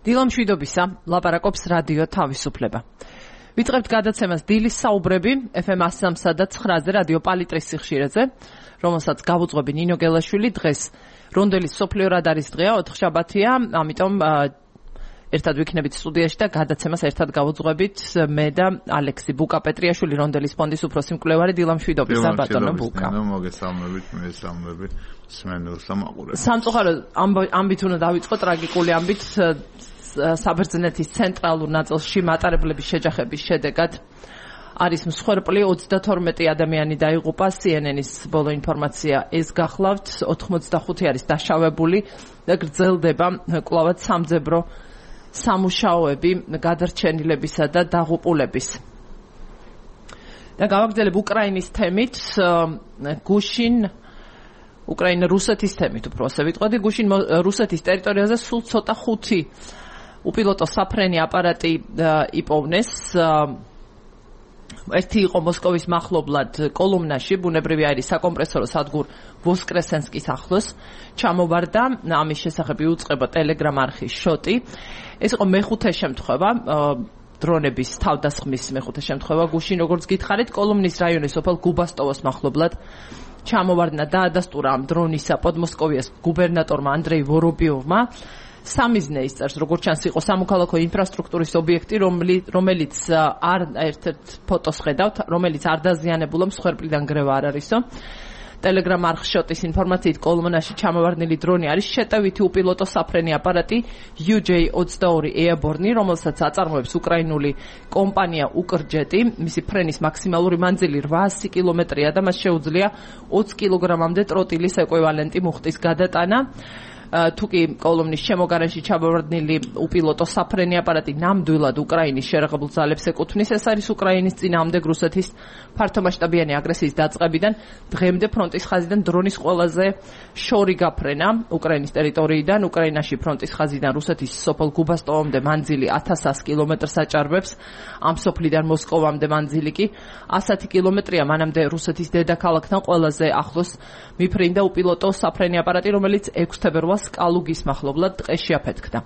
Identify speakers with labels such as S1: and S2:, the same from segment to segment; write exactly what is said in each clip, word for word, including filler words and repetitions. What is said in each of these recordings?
S1: დილა მშვიდობისა, ლაპარაკობს რადიო თავისუფლება. ვიწყებთ გადაცემას დილის საუბრები ეფ ემ one oh three და nine-ზე რადიო პალიტრის სიხშირეზე, რომელსაც გავუძღვები ნინო გელაშვილი. დღეს რონდელის სოფლიო რადარის დღეა, ოთხშაბათია, ამიტომ ერთად ვიქნებით სტუდიაში და გადაცემას ერთად გავუძღვებით მე და ალექსი ბუკა-პეტრიაშვილი, რონდელის ფონდის უფროსი მკვლევარი. დილა მშვიდობისა, ბატონო ბუკა.
S2: მოგესალმებით, მე სამები სმენელს ამაყურებს.
S1: სამწუხაროდ ამბით უნდა დავიწყო, ტრაგიკული ამბით. საბერძნეთის ცენტრალურ ნაწილში მატარებლების შეჯახების შედეგად არის მსხვერპლი, ოცდათორმეტი ადამიანი დაიღუპა. სი ენ ენის ბოლო ინფორმაცია ეს გახლავთ. ოთხმოცდახუთი არის დაშავებული და გრძელდება კვლავად სამძებრო სამუშაოები გადარჩენილებისა და დაღუპულების. და გავაგრძელებ უკრაინის თემით, გუშინ უკრაინა რუსეთის თემით უფრო ასე ვიტყოდი. გუშინ რუსეთის ტერიტორიაზე სულ ცოტა ხუთი უპილოტო საფრენი აპარატი იპოვნეს. ერთი იყო მოსკოვის მახლობლად კოლუმნაში, ბუნებრივი აირის საკომპრესორო სადგურ ვოსკრესენსკის ახლოს ჩამოვარდა. ამის შესახებ იუწყება ტელეგრამ არხის შოტი. ეს იყო მეხუთე შემთხვევა, დრონების თავდასხმის მეხუთე შემთხვევა გუშინ, როგორც გითხარით, კოლუმნის რაიონის სოფელ გუბასტოვოს მახლობლად ჩამოვარდნა და ადასტურა ამ დრონისა პოდმოსკოვიას გუბერნატორმა ანდრეი ვორობიოვმა. სამიზნე ისწერს, როგორც ჩანს, იყო სამოქალაქო ინფრასტრუქტურის ობიექტი, რომელიც არ ერთ-ერთ ფოტოს ხედავთ, რომელიც არ დაზიანებულა, მსხვერპლიდან გრევა არ არისო. ტელეგრამ არხის შოტის ინფორმაციით, კოლმონაში ჩამოვარდნილი დრონი არის შეტევითი უპილოტო საფრენი აპარატი იუ ჯეი ოცდაორი Airborne, რომელსაც აწარმოებს უკრაინული კომპანია უკრჯეტი. მისი ფრენის მაქსიმალური მანძილი რვაასი კილომეტრია და მას შეუძლია ოცი კილოგრამამდე ტროტილის ეკვივალენტი მუხტის გადატანა. თუკი კოლუმნის შემოგარენში ჩამოვარდნილი უპილოტო საფრენი აპარატი ნამდვილად უკრაინის შერაღებულ ძალებს ეკუთვნის, ეს არის უკრაინის წინააღმდეგ რუსეთის ფართომასშტაბიანი აგრესიის დაწყებიდან დღემდე ფრონტის ხაზიდან დრონის ყველაზე შორი გაფრენა უკრაინის ტერიტორიიდან. უკრაინაში ფრონტის ხაზიდან რუსეთის სოფელ გუბასტოვამდე მანძილი ათას ასი კილომეტრს აჭარბებს, ამ სოფლიდან მოსკოვამდე მანძილი კი ასი კილომეტრია. მანამდე რუსეთის დედაქალაქთან ყველაზე ახლოს მიფრინდა უპილოტო საფრენი აპარატი, რომელიც ექვსი თებერვალს კალუგის მახლობლად ტყეში აფეთქდა.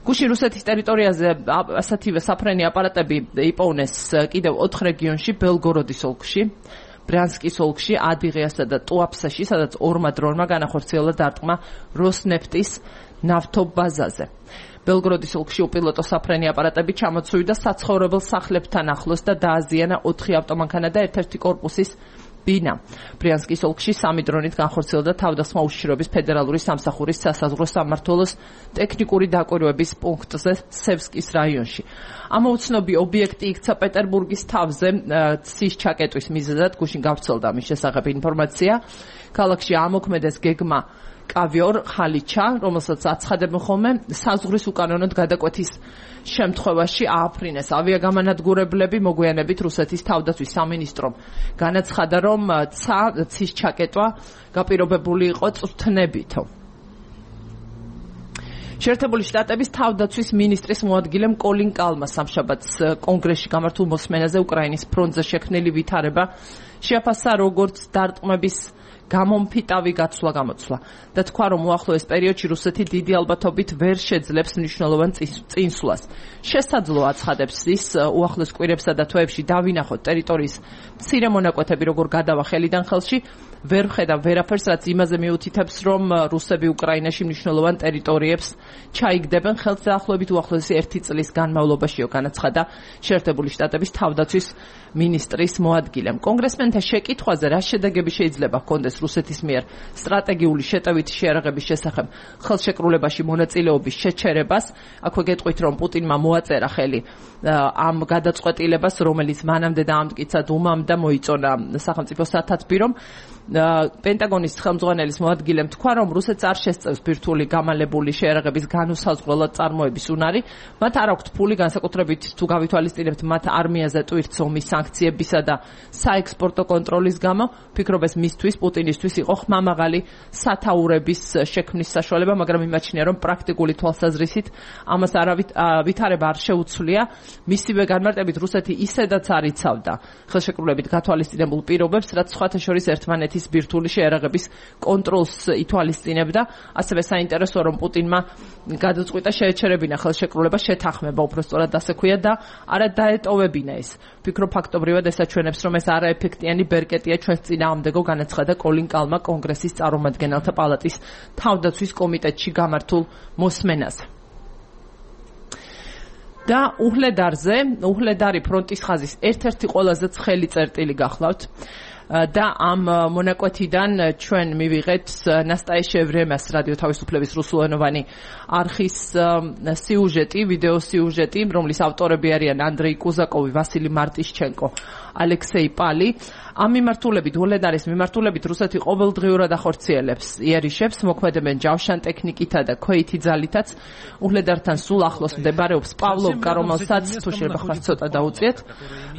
S1: გუშინ რუსეთის ტერიტორიაზე ასეთივე საფრენი აპარატები იპოვნეს კიდევ ოთხ რეგიონში, ბელგოროდის ოლქში, ბრიანსკის ოლქში, ადიღიასა და ტუაფსაში, სადაც ორმა დრონმა განახორციელა დარტყმა როსნეფტის ნავთობაზაზე. ბელგოროდის ოლქში უპილოტო საფრენი აპარატები ჩამოცვიდა საცხოვრებელ სახლებთან ახლოს და დააზიანა ოთხი ავტომანქანა და ერთ-ერთი კორპუსის ბინა. ბრიანსკის ოლქში სამი დრონით განხორციელდა თავდასხმა უშიშროების ფედერალური სამსახურის სასაზღვრო სამმართველოს ტექნიკური დაკვირვების პუნქტზე სევსკის რაიონში. ამოუცნობი ობიექტი იქცა პეტერბურგის თავზე ცის ჩაკეტვის მიზეზად. გუშინ გავრცელდა ამის შესახებ ინფორმაცია. ქალაქში ამოქმედეს გეგმა კავიორ ხალიჩა, რომელსაც აცხადებენ ხოლმე საზღვრის უკანონოდ გადაკვეთის შემთხვევაში ააფრინეს ავიაგამანადგურებლები. მოგვიანებით რუსეთის თავდაცვის სამინისტრომ განაცხადა, რომ ცის ჩაკეტვა გაპირობებული იყო წვრთნებითო. შეერთებული შტატების თავდაცვის მინისტრის მოადგილემ კოლინ კალმა სამშაბათს კონგრესში გამართულ მოსმენაზე უკრაინის ფრონტზე შექმნილი ვითარება შეაფასა როგორც დარტყმების გამომფიტავი გაცვლა გამოცვლა და თქვა, რომ უახლოეს პერიოდში რუსეთი დიდი ალბათობით ვერ შეძლებს მნიშვნელოვან წინსვლას. შესაძლოა აცხადებს ის, უახლოეს კვირებსა და თვეებში დავინახოთ ტერიტორიის მცირე მონაკვეთები როგორ გადავა ხელიდან ხელში, ვერ ვხედავ ვერაფერს, რაც იმაზე მიუთითებს, რომ რუსები უკრაინაში მნიშვნელოვან ტერიტორიებს ჩაიგდებენ. ხელს დაახლოებით უახლოესი ერთი წლის განმავლობაშიო, განაცხადა შეერთებული შტატების თავდაცვის მინისტრის მოადგილემ. კონგრესმენთა შეკითხვაზე, რა შედეგები შეიძლება ჰქონდეს რუსეთის მიერ სტრატეგიული შეტევითი შეიარაღების შესახებ ხელშეკრულებაში მონაწილეობის შეჩერებას, აქვე გეტყვით, რომ პუტინმა მოაწერა ხელი ამ გადაწყვეტილებას, რომელიც მანამდე დაამტკიცა დუმამ და მოიწონა სახელმწიფო სათათბირომ. პენტაგონის ხელმძღვანელის მოადგილემ თქვა, რომ რუსეთს არ შესწევს ბირთვული გამალებული შეიარაღების განუსაზღვრელად წარმოების უნარი. მათ არ აქვთ ფული, განსაკუთრებით თუ გავითვალისწინებთ მათ არმიაზე ტვირთს ომის სანქციებისა და საექსპორტო კონტროლის გამო. ფიქრობ ეს მისთვის, პუტინისთვის იყო ხმამაღალი სათაურების შექმნის საშუალება, მაგრამ იმაჩნია, რომ პრაქტიკული თვალსაზრისით ამას არავით ვითარება არ შეუცვლია. მისივე განმარტებით რუსეთი ისედაც არ იცავდა ხელშეკრულებით გათვალისწინებულ პირობებს, რაც სხვათა შორის ერთმანეთის ბირთვული შეერაღების კონტროლს ითვალისწინებდა. ასევე საინტერესოა, რომ პუტინმა გადაწყვიტა შეეჩერებინა ხელშეკრულება, შეთანხმება უბრალოდ ასე ქვია და არა დაეტოვებინა ეს. ფიქრობ ფაქტობრივად ესაჩვენებს, რომ ეს არაეფექტიანი ბერკეტია ჩვენს წინააღმდეგო, განაცხადა კოლინ კალმა კონგრესის წარმომადგენელთა პალატის თავდაცვის კომიტეტში გამართულ მოსმენაზე. და უჰლედარზე, უჰლედარი ფრონტის ხაზის ერთ-ერთი ყველაზე ცხელი წერტილი გახლავთ. და ამ მონაკვეთიდან ჩვენ მივიღეთ ნასტაია შევრემას რადიო თავისუფლების რუსულენოვანი არხის სიუჟეტი, ვიდეო სიუჟეტი, რომლის ავტორები არიან ანდრეი კუზაკოვი, ვასილი მარტიშჩენკო, ალექსეი პალი. ამ მიმართულებით, უჰლედარის მიმართულებით რუსეთი ყოველდღიურად ახორციელებს იერიშებს, მოქმედებენ ჯავშან ტექნიკითა და ქვეითი ძალითაც. უჰლედართან სულ ახლოს მდებარეობს პავლოვკა, რომელსაც თუ შეიძლება ხარ ცოტა დაუწიეთ,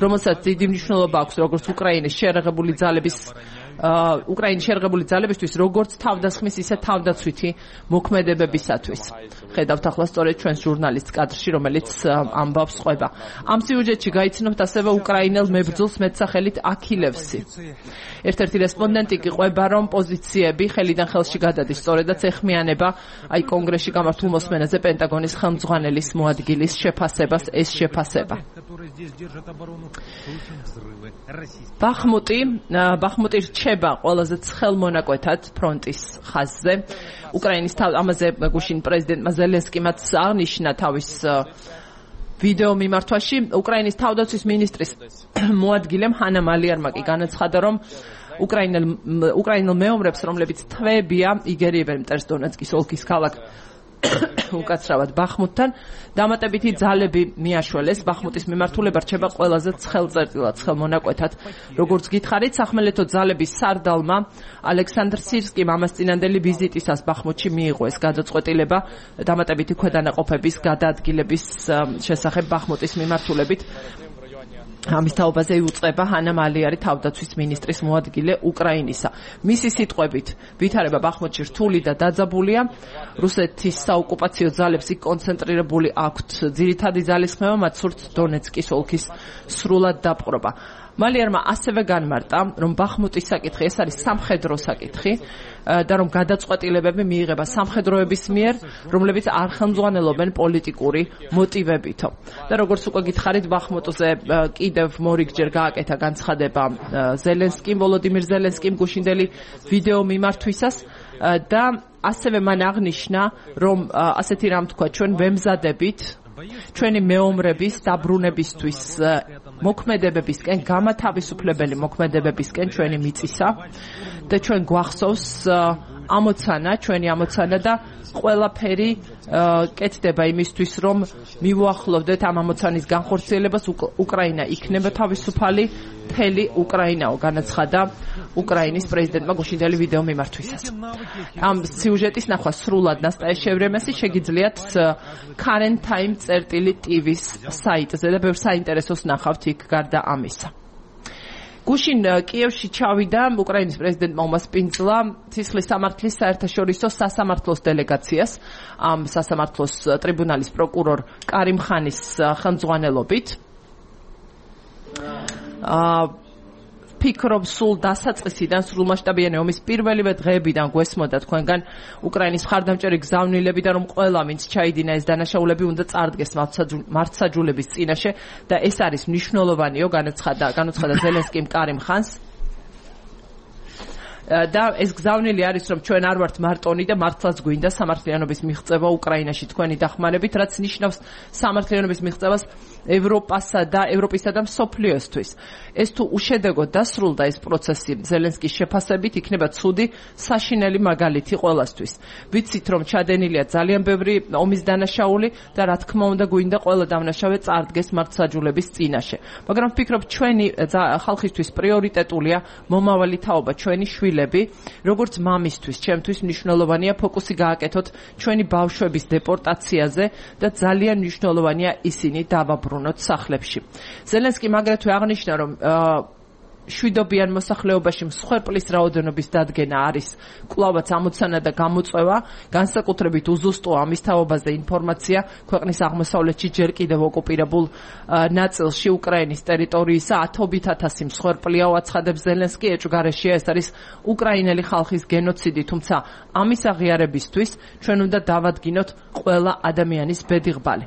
S1: რომელსაც დიდი მნიშვნელობა აქვს როგორც უკრაინის შეერაღებული ძალების უკრაინის შეერაღებული ძალებისთვის, როგორც თავდასხმის, ისე თავდაცვითი მოქმედებებისათვის. ხედავთ ახლა სწორედ ჩვენს ჟურნალისტ კადრში, რომელიც ამბავს ყვება. ამ სიუჟეტში გაიცნობთ ასევე უკრაინელ მებრძოლს მეტსახელით აქილევსი. ერთ-ერთი რესპონდენტი კი ყვება, რომ პოზიციები ხელიდან ხელში გადადის, სწორედაც ეხმიანება აი კონგრესში გამართულ მოსმენაზე პენტაგონის ხელმძღვანელის მოადგილის შეფასებას, ეს შეფასება. ბახმუტი, ბახმუტი რჩება ყველაზე ცხელ მონაკვეთად ფრონტის ხაზზე. უკრაინის თავ ამაზე გუშინ პრეზიდენტმა ზელენსკიმაც აღნიშნა თავის ვიდეო მიმართვაში. უკრაინის თავდაცვის მინისტრის მოადგილემ ჰანა მალიარმა კი განაცხადა, რომ უკრაინელ უკრაინელ მეომრებს, რომლებიც თვეებია, იგერიებენ მტერს დონეცკის ოლქის ქალაქ უკაცრავად ბახმუტთან, დამატებითი ძალები მიაშველეს. ბახმუტის მიმართულება რჩება ყველაზე ცხელ წერტილად, ცხელ მონაკვეთად. როგორც გითხარით, სახმელეთო ძალების სარდალმა ალექსანდრ სირსკიმ ამას წინანდელი ვიზიტისას ბახმუტში მიიღო ეს გადაწყვეტილება დამატებითი ქვედანაყოფების გადაადგილების შესახებ ბახმუტის მიმართულებით. ამის თაობაზე იუწყება ჰანა მალიარი, თავდაცვის მინისტრის მოადგილე უკრაინისა. მისი სიტყვებით, ვითარება ბახმუტში რთული და დაძაბულია. რუსეთის საოკუპაციო ძალებს იქ კონცენტრირებული აქვთ ძირითადი ძალისხმევა, მათ სურთ დონეცკის ოლქის სრულად დაპყრობა. მალიარმა ასევე განმარტა, რომ ბახმუტის საკითხი ეს არის სამხედრო საკითხი და რომ გადაწყვეტილებები მიიღება სამხედროების მიერ, რომლებიც არ ხელმძღვანელობენ პოლიტიკური მოტივებითო. და როგორც უკვე გითხარით, ბახმუტზე კიდევ მორიგჯერ გააკეთა განცხადება ზელენსკიმ, ვოლოდიმირ ზელენსკიმ გუშინდელი ვიდეო მიმართვისას და ასევე მან აღნიშნა, რომ ასეთი რამ თქვა, ჩვენ ვემზადებით ჩვენი მეომრების დაბრუნებისთვის მოქმედებებისკენ, გამათავისუფლებელი მოქმედებებისკენ ჩვენი მიწისა და ჩვენ გვახსოვს ამოცანა, ჩვენი ამოცანა და ყველაფერი კეთდება იმისთვის, რომ მივუახლოვდეთ ამ ამოცანის განხორციელებას, უკრაინა იქნება თავისუფალი, მთელი უკრაინაო, განაცხადა უკრაინის პრეზიდენტმა გუშინდელი ვიდეო მიმართვისას. ამ სიუჟეტის ნახვა სრულად ნასტაია შევრემესი შეგიძლიათ Current Time წერტილი ტივის საიტზე და ბევრ საინტერესოს ნახავთ იქ გარდა ამისა. გუშინ კიევში ჩავიდა უკრაინის პრეზიდენტმა უმასპინძლა ცისხლის სამართლის საერთაშორისო სასამართლოს დელეგაციას, ამ სასამართლოს ტრიბუნალის პროკურორ კარიმ ხანის ხელმძღვანელობით. ფიქრობ სულ დასაწყისიდან, სრულმასშტაბიანი ომის პირველივე დღეებიდან გვესმოდა თქვენგან უკრაინის მხარდამჭერი გზავნილები და რომ ყველა ვინც ჩაიდინა ეს დანაშაულები უნდა წარდგეს მართსაჯულების წინაშე და ეს არის მნიშვნელოვანიო, განაცხადა განაცხადა ზელენსკიმ კარიმ ხანს. და ეს გზავნილი არის, რომ ჩვენ არ ვართ მარტონი და მართლაც გვინდა სამართლიანობის მიღწევა უკრაინაში თქვენი დახმარებით, რაც ნიშნავს სამართლიანობის მიღწევას ევროპასა და ევროპისა და მსოფლიოსთვის. ეს თუ უშედეგოდ დასრულდა ეს პროცესი ზელენსკის შეფასებით, იქნება ცუდი საშინელი მაგალითი ყველასთვის. ვიცით, რომ ჩადენილია ძალიან ბევრი ომის დანაშაული და რა თქმა უნდა გვინდა ყველა დამნაშავე წარდგეს მართსაჯულების წინაშე. მაგრამ ვფიქრობ, ჩვენი ხალხისთვის პრიორიტეტულია მომავალი თაობა, ჩვენი შვილები, როგორც მამისთვის, ჩემთვის მნიშვნელოვანია ფოკუსი გააკეთოთ ჩვენი ბავშვების დეპორტაციაზე და ძალიან მნიშვნელოვანია ისინი დავაბრუნოთ სახლებში. ზელენსკიმ აგრეთვე აღნიშნა, რომ შვიდობიან მოსახლეობაში მსხვერპლის რაოდენობის დადგენა არის კვლავაც ამოცანა და გამოწვევა, განსაკუთრებით უზუსტოა ამის თაობაზე ინფორმაცია ქვეყნის აღმოსავლეთში ჯერ კიდევ ოკუპირებულ ნაწილში უკრაინის ტერიტორიისა ათობით ათასი მსხვერპლია, აცხადებს ზელენსკი, ეჭვგარეშეა, ეს არის უკრაინელი ხალხის გენოციდი, თუმცა ამის აღიარებისთვის ჩვენ უნდა დავადგინოთ ყველა ადამიანის ბედიღბალი.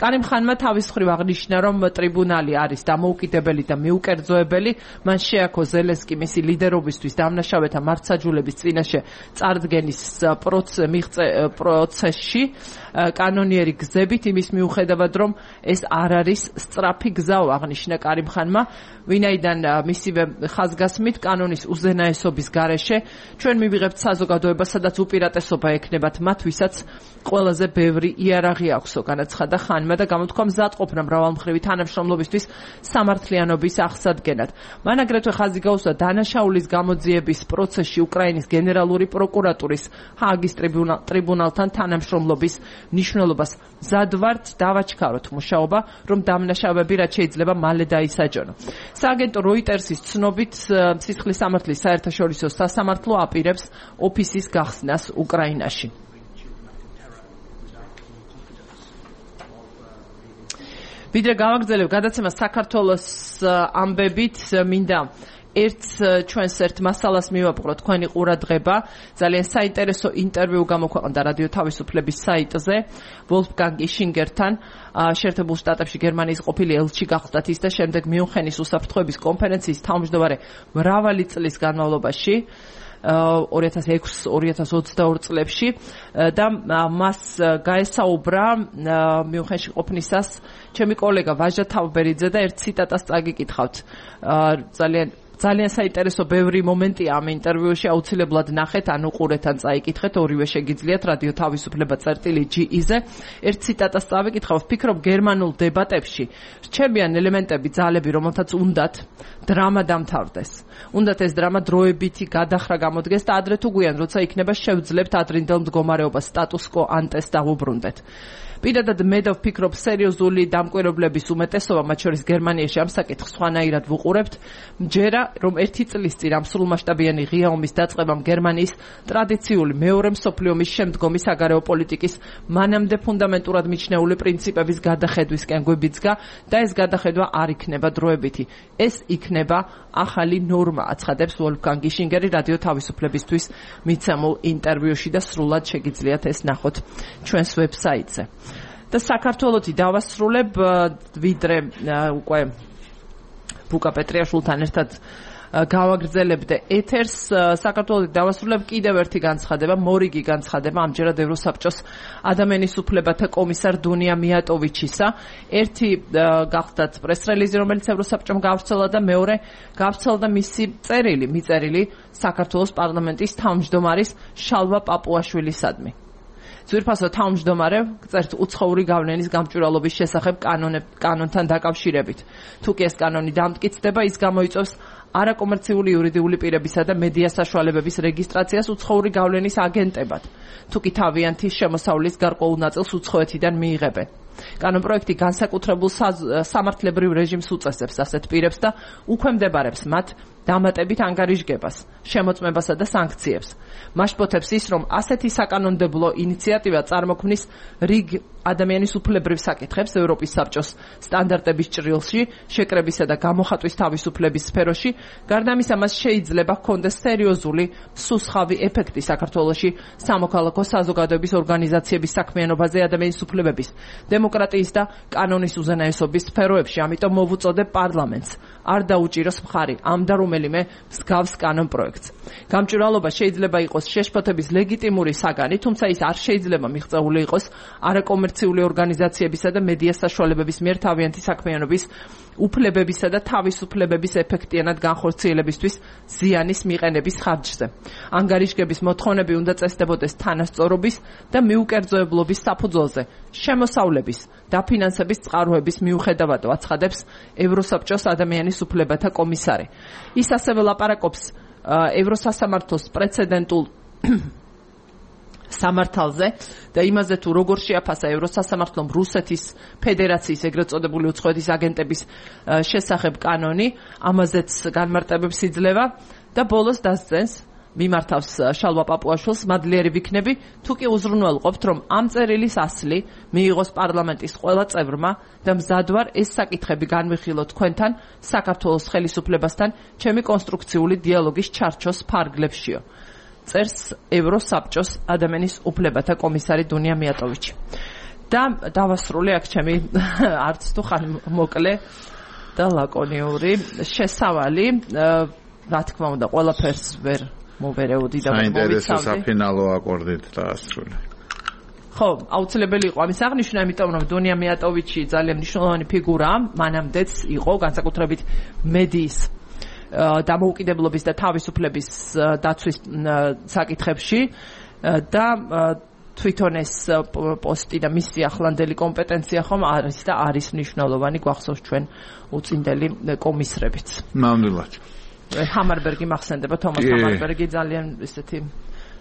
S1: კარიმ ხანმა თავის მხრივ აღნიშნა, რომ ტრიბუნალი არის დამოუკიდებელი და მიუკერძოებელი, მან შეაქო ზელენსკი მისი ლიდერობისთვის დამნაშავეთა მართსაჯულების წინაშე წარდგენის პროცესში კანონიერი გზებით, იმის მიუხედავად, რომ ეს არ არის სწრაფი გზა, აღნიშნა კარიმ ხანმა, ვინაიდან მისივე ხაზგასმით კანონის უზენაესობის გარეშე ჩვენ მივიღებთ საზოგადოებას, სადაც უპირატესობა ექნებათ მათ, ვისაც ყველაზე ბევრი იარაღი აქვსო, განაცხადა ხანმა და გამოთქვა მზადყოფნა მრავალმხრივი თანამშრომლობისთვის სამართლიანობის აღსადგენად. მან აგრეთვე ხაზი გაუსვა დანაშაულის გამოძიების პროცესში უკრაინის გენერალური პროკურატურის ჰააგის ტრიბუნალთან თანამშრომლობის მნიშვნელობას. მზად ვართ დავაჩქაროთ მუშაობა, რომ დამნაშავეები რაც შეიძლება მალე დაისაჯონო. სააგენტო როიტერსის ცნობით სისხლის სამართლის საერთაშორისო სასამართლო აპირებს ოფისის გახსნას უკრაინაში. ვიდრე გავაგრძელებ გადაცემა საქართველოს ამბებით, მინდა ერთ ჩვენს ერთ მასალას მივაპყრო თქვენი ყურადღება. ძალიან საინტერესო ინტერვიუ გამოქვეყნდა რადიო თავისუფლების საიტზე ვოლფგანგ იშინგერთან, შეერთებულ შტატებში გერმანიის ყოფილი ელჩი გახლდათ ის და შემდეგ მიუნხენის უსაფრთხოების კონფერენციის თავმჯდომარე მრავალი წლის განმავლობაში ორი ათას ექვსი ორი ათას ოცდაორი წლებში და მას გაესაუბრა მიუნხენში ყოფნისას ჩემი კოლეგა ვაჟა თავბერიძე და ერთ ციტატას წაგიკითხავთ. ძალიან ძალიან საინტერესო ბევრი მომენტია ამ ინტერვიუში, აუცილებლად ნახეთ, ან უყურეთ, ან წაიკითხეთ, ორივე შეგიძლიათ რადიო თავისუფლება წერტილი ჯი-ზე. ერთ ციტატას წავიკითხავ, ვფიქრობ გერმანულ დებატებში რჩებიან ელემენტები, ძალები, რომელთაც უნდათ დრამა დამთავრდეს. უნდათ ეს დრამა დროებითი გადახრა გამოდგეს და ადრე თუ გვიან, როცა იქნება შევძლებთ ადრინდელ მდგომარეობას status quo ante-ს დავუბრუნდეთ. პირადად მე და ვფიქრობ სერიოზული დამკვირვებლების უმეტესობა, მათ შორის გერმანიაში ამ საკითხს სხვანაირად ვუყურებთ, მჯერა რომ ერთი წლის წინ ამ სრულმასშტაბიანი ღია ომის დაწყებამ გერმანიის ტრადიციული მეორე მსოფლიო ომის შემდგომი საგარეო პოლიტიკის მანამდე ფუნდამენტურად მიჩნეული პრინციპების გადახედვისკენ გვიბიძგა და ეს გადახედვა არ იქნება დროებითი. ეს იქნება ახალი ნორმა, აცხადებს ვოლფგანგ იშინგერი რადიო თავისუფლებისთვის მიცემულ ინტერვიუში და სრულად შეგიძლიათ ეს ნახოთ ჩვენს ვებსაიტზე. და საქართველოთი დავასრულებ, ვიდრე უკვე ბუკა პეტრიაშვილთან ერთად გავაგრძელებდე ეთერს, საქართველოს დავასრულებ კიდევ ერთი განცხადება, მორიგი განცხადება ამჯერად ევროსაბჭოს ადამიანის უფლებათა კომისარ დუნია მიატოვიჩისა. ერთი გახლდათ პრეს-რელიზი, რომელიც ევროსაბჭომ გავრცელა და მეორე გავრცელდა მისი წერილი, მიწერილი საქართველოს პარლამენტის თავმჯდომარის შალვა პაპუაშვილისადმი. ძვირფასო თავმჯდომარე წერთ უცხოური გავლენის გამჭვირვალობის შესახებ კანონთან დაკავშირებით. თუ კი ეს კანონი დამტკიცდება, ის გამოიწვევს არაკომერციული იურიდიული პირებისა და მედია საშუალებების რეგისტრაციას უცხოური გავლენის აგენტებად. თუ კი თავიანთი შემოსავლის გარკვეულ ნაწილს უცხოეთიდან მიიღებენ. კანონპროექტი განსაკუთრებულ სამართლებრივ რეჟიმს უწესებს ასეთ პირებს და უქვემდებარებს მათ დამატებით ანგარიშგებას, შემოწმებასა და სანქციებს. მაშპოთებს ის, რომ ასეთი საკანონმდებლო ინიციატივა წარმოქმნის რიგ ადამიანის უფლებრივ საკითხებს ევროპის საბჭოს სტანდარტების ჭრილში, შეკრებისა და გამოხატვის თავისუფლების სფეროში, გარდა ამისა მას შეიძლება ჰქონდეს სერიოზული სუსხავი ეფექტი საქართველოში სამოქალაქო საზოგადოების ორგანიზაციების საქმიანობაზე ადამიანის უფლებების, დემოკრატიის და კანონის უზენაესობის სფეროებში. ამიტომ მოვუწოდებ პარლამენტს არ დაუჭიროს მხარი ამ და რომელიმე მსგავს კანონპროექტს. გამჭვირვალობა შეიძლება იყოს შეშფოთების ლეგიტიმური საგანი, თუმცა ის არ შეიძლება მიღწეული იყოს არაკომერციული ორგანიზაციებისა და მედია საშუალებების მიერ თავიანთი საქმიანობის უფლებებისა და თავისუფლებების ეფექტიანად განხორციელებისთვის ზიანის მიყენების ხარჯზე. ანგარიშგების მოთხოვნები უნდა წესდებოდეს თანასწორობის და მიუკერძოებლობის საფუძველზე, შემოსავლების და ფინანსების წყაროების მიუხედავად, აცხადებს ევროსაბჭოს ადამიანის უფლებათა კომისარი. ის ასევე ლაპარაკობს ევროსასამართლოს პრეცედენტულ სამართალზე და იმაზე თუ როგორ შეაფასა ევროსასამართლომ რუსეთის ფედერაციის ეგრეთ წოდებული უცხოეთის აგენტების შესახებ კანონი, ამაზეც განმარტებებს იძლევა და ბოლოს დასძენს მიმართავს შალვა პაპუაშვილს, მადლიერი ვიქნები, თუ კი უზრუნველყოფთ, რომ ამ წერილის ასლი მიიღოს პარლამენტის ყველა წევრმა და მზად ვარ ეს საკითხები განვიხილოთ თქვენთან საქართველოს ხელისუფლებასთან ჩემი კონსტრუქციული დიალოგის ჩარჩოს ფარგლებშიო. წერს ევროსაბჭოს ადამიანის უფლებათა კომისარი დუნია მიატოვიჩი. და დავასრულე აქ ჩემი არც თუ ხან მოკლე და ლაკონიური შესავალი, რა თქმა უნდა, ყველაფერს ვერ მოვერეოდი და მოვიცავდი.
S2: საინტერესო საფინალო აკორდით დაასრულე.
S1: ხო, აუცილებელი იყო ამის აღნიშვნა, იმიტომ რომ დუნია მიატოვიჩი ძალიან მნიშვნელოვანი ფიგურაა, მანამდეც იყო განსაკუთრებით მედიის დამოუკიდებლობის და თავისუფლების დაცვის საკითხებში და თვითონ ეს პოსტი და მისი ახლანდელი კომპეტენცია ხომ არის და არის მნიშვნელოვანი, გვახსოვს ჩვენ უწინდელი კომისრებიც.
S2: ნამდვილად.
S1: ჰამარბერგი მახსენდება, თომას ჰამარბერგი ძალიან ესეთი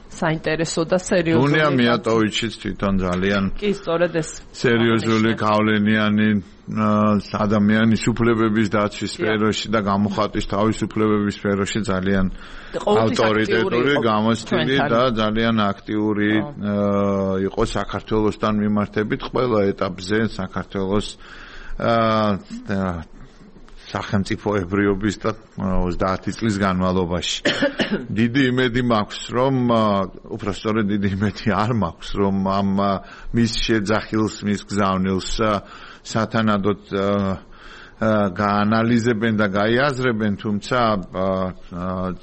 S1: საინტერესო და სერიოზული.
S2: დუნია მიატოვიჩიც თვითონ ძალიან
S1: კი, სწორედ ეს
S2: სერიოზული გავლენიანი ადამიანის უფლებების დაცვის სფეროში და გამოხატვის თავისუფლებების სფეროში ძალიან ავტორიტეტური, გამოცდილი და ძალიან აქტიური იყო საქართველოსთან მიმართებით ყველა ეტაპზე საქართველოს სახელმწიფოებრიობის და ოცდაათი წლის განმავლობაში. დიდი იმედი მაქვს, რომ უბრალოდ დიდი იმედი არ მაქვს, რომ ამ მის შეძახილს, მის გზავნილს სათანადოდ გაანალიზებენ და გაიაზრებენ, თუმცა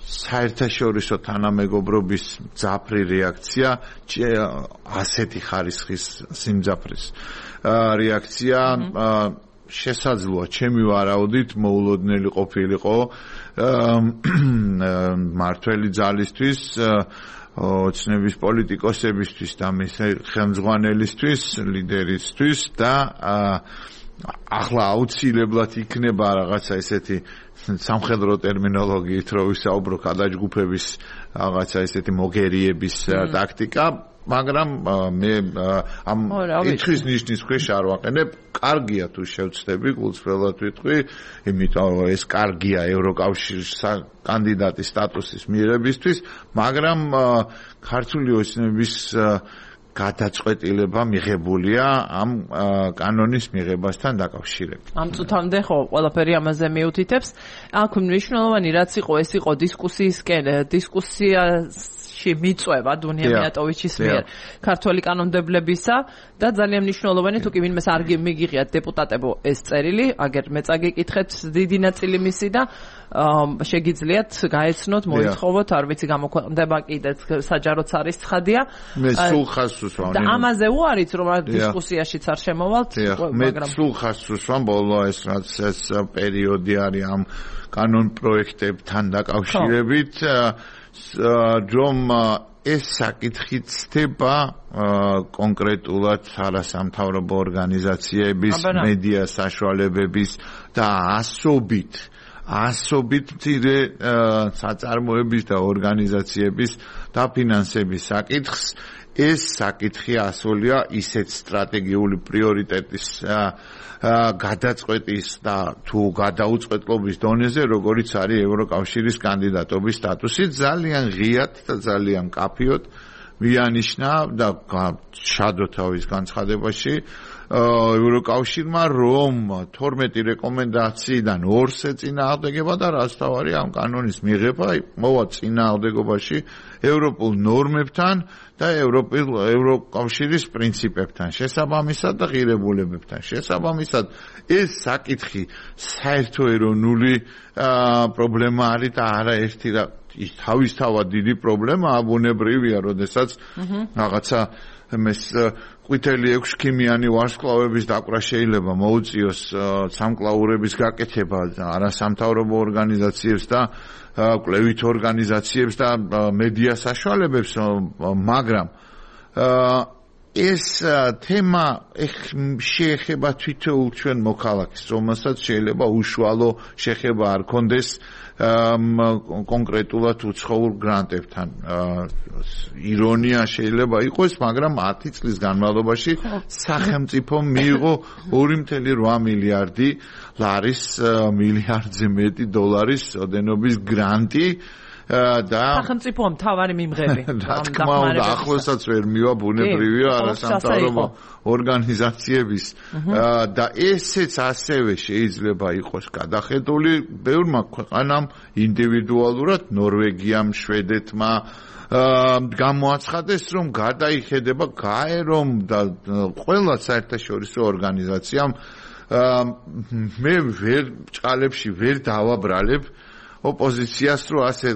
S2: საერთაშორისო თანამეგობრობის მძაფრი რეაქცია ასეთი ხარისხის სიმძაფრის რეაქცია შესაძლოა ჩემი ვარაუდით მოულოდნელი ყოფილიყო მართველი ძალისთვის, ოცნების პოლიტიკოსებისთვის და მის ხელმძღვანელისთვის, ლიდერისთვის და ახლა აუცილებლად იქნება რაღაცა ესეთი სამხედრო ტერმინოლოგიით რო ვისაუბრო გადაჯგუფების რაღაცა ესეთი მოგერიების ტაქტიკა, მაგრამ მე ამ ეჭვის ნიშნის ქვეშ არ ვაყენებ. კარგია თუ შევცდები, გულწრფელად ვიტყვი, იმიტომ რომ ეს კარგია ევროკავშირის კანდიდატის სტატუსის მიღებისთვის, მაგრამ ქართული ოცნების გადაწყვეტილება მიღებულია ამ კანონის მიღებასთან დაკავშირებით.
S1: ამ წუთამდე ხო ყველაფერი ამაზე მიუთითებს. აქ მნიშვნელოვანი რაც იყო, ეს იყო დისკუსიისკენ, დისკუსიაში მიწვევა დუნია მიატოვიჩის მიერ ქართული კანონმდებლებისა და ძალიან მნიშვნელოვანი თუ კი ვინმეს არ მიგიღიათ დეპუტატებო ეს წერილი, აგერ მეც აგიკითხეთ დიდი ნაწილი მისი და შეგიძლიათ გაეცნოთ, მოითხოვოთ, არ ვიცი გამოქვეყნდება კიდეც საჯაროც არის ცხადია.
S2: მე სულ ხაზს უსვამ.
S1: და ამაზე უარით რომ დისკუსიაშიც არ შემოვალთ,
S2: მაგრამ მე სულ ხაზს უსვამ, ბოლო ეს რაც ეს პერიოდი არის ამ კანონ პროექტებთან დაკავშირებით, რომ ეს საკითხი ცდება კონკრეტულად არასამთავრობო ორგანიზაციების, მედია საშუალებების და ასობით ასობით მცირე საწარმოების და ორგანიზაციების დაფინანსების საკითხს. ეს საკითხი ასულია ისეთ სტრატეგიული პრიორიტეტის გადაწყვეტის და თუ გადაუწყვეტლობის დონეზე, როგორიც არის ევროკავშირის კანდიდატობის სტატუსი, ძალიან ღიად და ძალიან მკაფიოდ მიანიშნა და შადო თავის განცხადებაში ევროკავშირმა, რომ თორმეტი რეკომენდაციიდან ორს ეწინააღმდეგება და რაც თავარი ამ კანონის მიღება მოვა წინააღმდეგობაში ევროპულ ნორმებთან და ევროკავშირის პრინციპებთან შესაბამისად და ღირებულებებთან შესაბამისად. ეს საკითხი საერთო ეროვნული პრობლემა არის და არაერთი თავისთავად დიდი პრობლემაა, ბუნებრივია, როდესაც რაღაცა ეს ყვითელი ექვსქიმიანი ვარსკვლავების დაკვრა შეიძლება მოუწიოს სამკლაურების გაკეთება არასამთავრობო ორგანიზაციებს და კვლევით ორგანიზაციებს და მედია საშუალებებს, მაგრამ ეს თემა შეეხება თითოეულ ჩვენ მოქალაქეს, რომელსაც შეიძლება უშუალო შეხება არ კონდეს კონკრეტულად უცხოურ გრანტებთან. ირონია შეიძლება იყოს, მაგრამ ათი წლის განმავლობაში სახელმწიფომ მიიღო ორი წუთი ოთხ მილიარდი ლარის მილიარდზე მეტი დოლარის ოდენობის გრანტი და
S1: სახელმწიფო მთავარი მიმღები.
S2: რა თქმა უნდა, ახლოსაც ვერ მივა ბუნებრივია არასამთავრობო ორგანიზაციების და ესეც ასევე შეიძლება იყოს გადახედული ბევრმა ქვეყანამ ინდივიდუალურად, ნორვეგიამ, შვედეთმა გამოაცხადეს, რომ გადაიხედება გაერომ და ყველა საერთაშორისო ორგანიზაციამ მე ვერ ჭყალებში ვერ დავაბრალებ ოპოზიციას რო ასე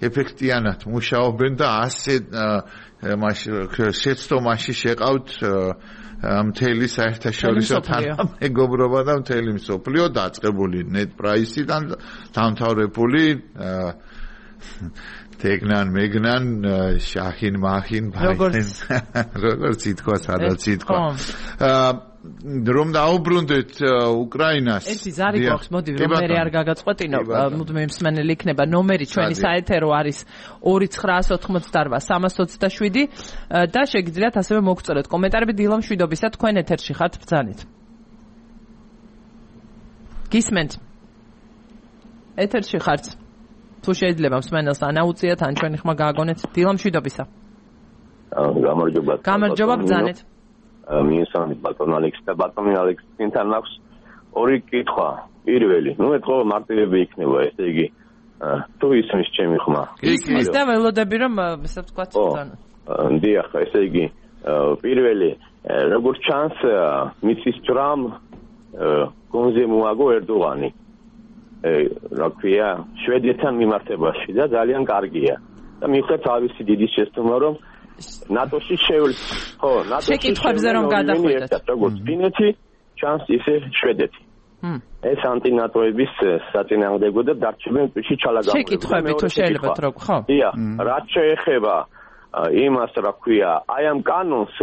S2: ეფექტიანად მუშაობენ და ასე შეცდომაში შეყავთ მთელი საერთაშორისო თანამეგობრობა და მთელი მსოფლიო დაწყებული ნეტ პრაისიდან დამთავრებული თეგნან მეგნან შაჰინ მაჰინ
S1: როგორც
S2: როგორც ითქვა სადაც ითქვა რომ დაუბრუნდეთ უკრაინას.
S1: ერთი ზარი გვაქვს, მოდი რომ მე არ გაგაწყვეტინო, მუდმივი მსმენელი იქნება. ნომერი ჩვენი საეთერო არის ორი ცხრაას ოთხმოცდაოთხ სამას ოცდაშვიდი და შეგიძლიათ ასევე მოგწეროთ კომენტარები დილა მშვიდობისა, თქვენ ეთერში ხართ, ბრძანეთ. გისმენთ? ეთერში ხართ. თუ შეიძლება მსმენელს ანაუციათ, ან ჩვენი ხმა გააგონეთ დილა მშვიდობისა.
S3: გამარჯობა.
S1: გამარჯობა, ბრძანეთ.
S3: მიესალმებით ბატონ ალექს და ბატონ ალექსთან აქვს ორი კითხვა. პირველი, ნუ ეთქო მარტივები იქნება, ესე იგი თუ ისმის ჩემი ხმა.
S1: ისმის და ველოდები რომ ესე ვთქვათ ბრძანოთ.
S3: დიახ, ესე იგი პირველი, როგორც ჩანს, მიწის ჯრამ გონზე მოაგო ერდოღანი. რა ქვია, შვედეთთან მიმართებაში და ძალიან კარგია. და მიხვდეთ თავისი დიდი შეცდომა, რომ ნატოში შევლ ხო ნატოში
S1: შეკითხვებზე რომ გადახვიდეთ
S3: როგორც ფინეთი ჩანს ისე შვედეთი ეს ანტინატოების საწინააღმდეგო და დარჩებენ ტვიში ჩალაგამოება
S1: შეკითხვები თუ შეიძლება რო ხო
S3: დიახ რაც შეეხება იმას რა ქვია აი ამ კანონს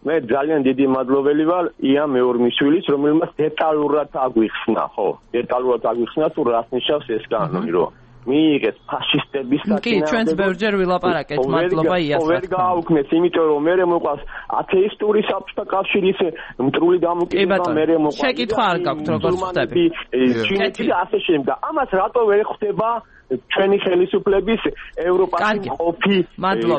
S3: მე ძალიან დიდი მადლობელი ვარ ია მეორმიშვილის რომელმაც დეტალურად აგვიხსნა ხო დეტალურად აგვიხსნა თუ რას ნიშნავს ეს კანონი რომ მიიღეს ფაშისტების
S1: საწინააღმდეგო კი ჩვენც ბევრჯერ ვილაპარაკეთ მადლობა იას
S3: ვერ გააუქმეს იმიტომ რომ მე მოყვას ათეისტური საბჭოთა კავშირის მტრული დამოკიდება მე მოყვას
S1: შეკითხვა არ გაქვთ როგორ ხდები
S3: ჩინეთი და ასე შემდეგ ამას რატო ვერ ხდება ჩვენი ხელისუფლების ევროპაში ყოფი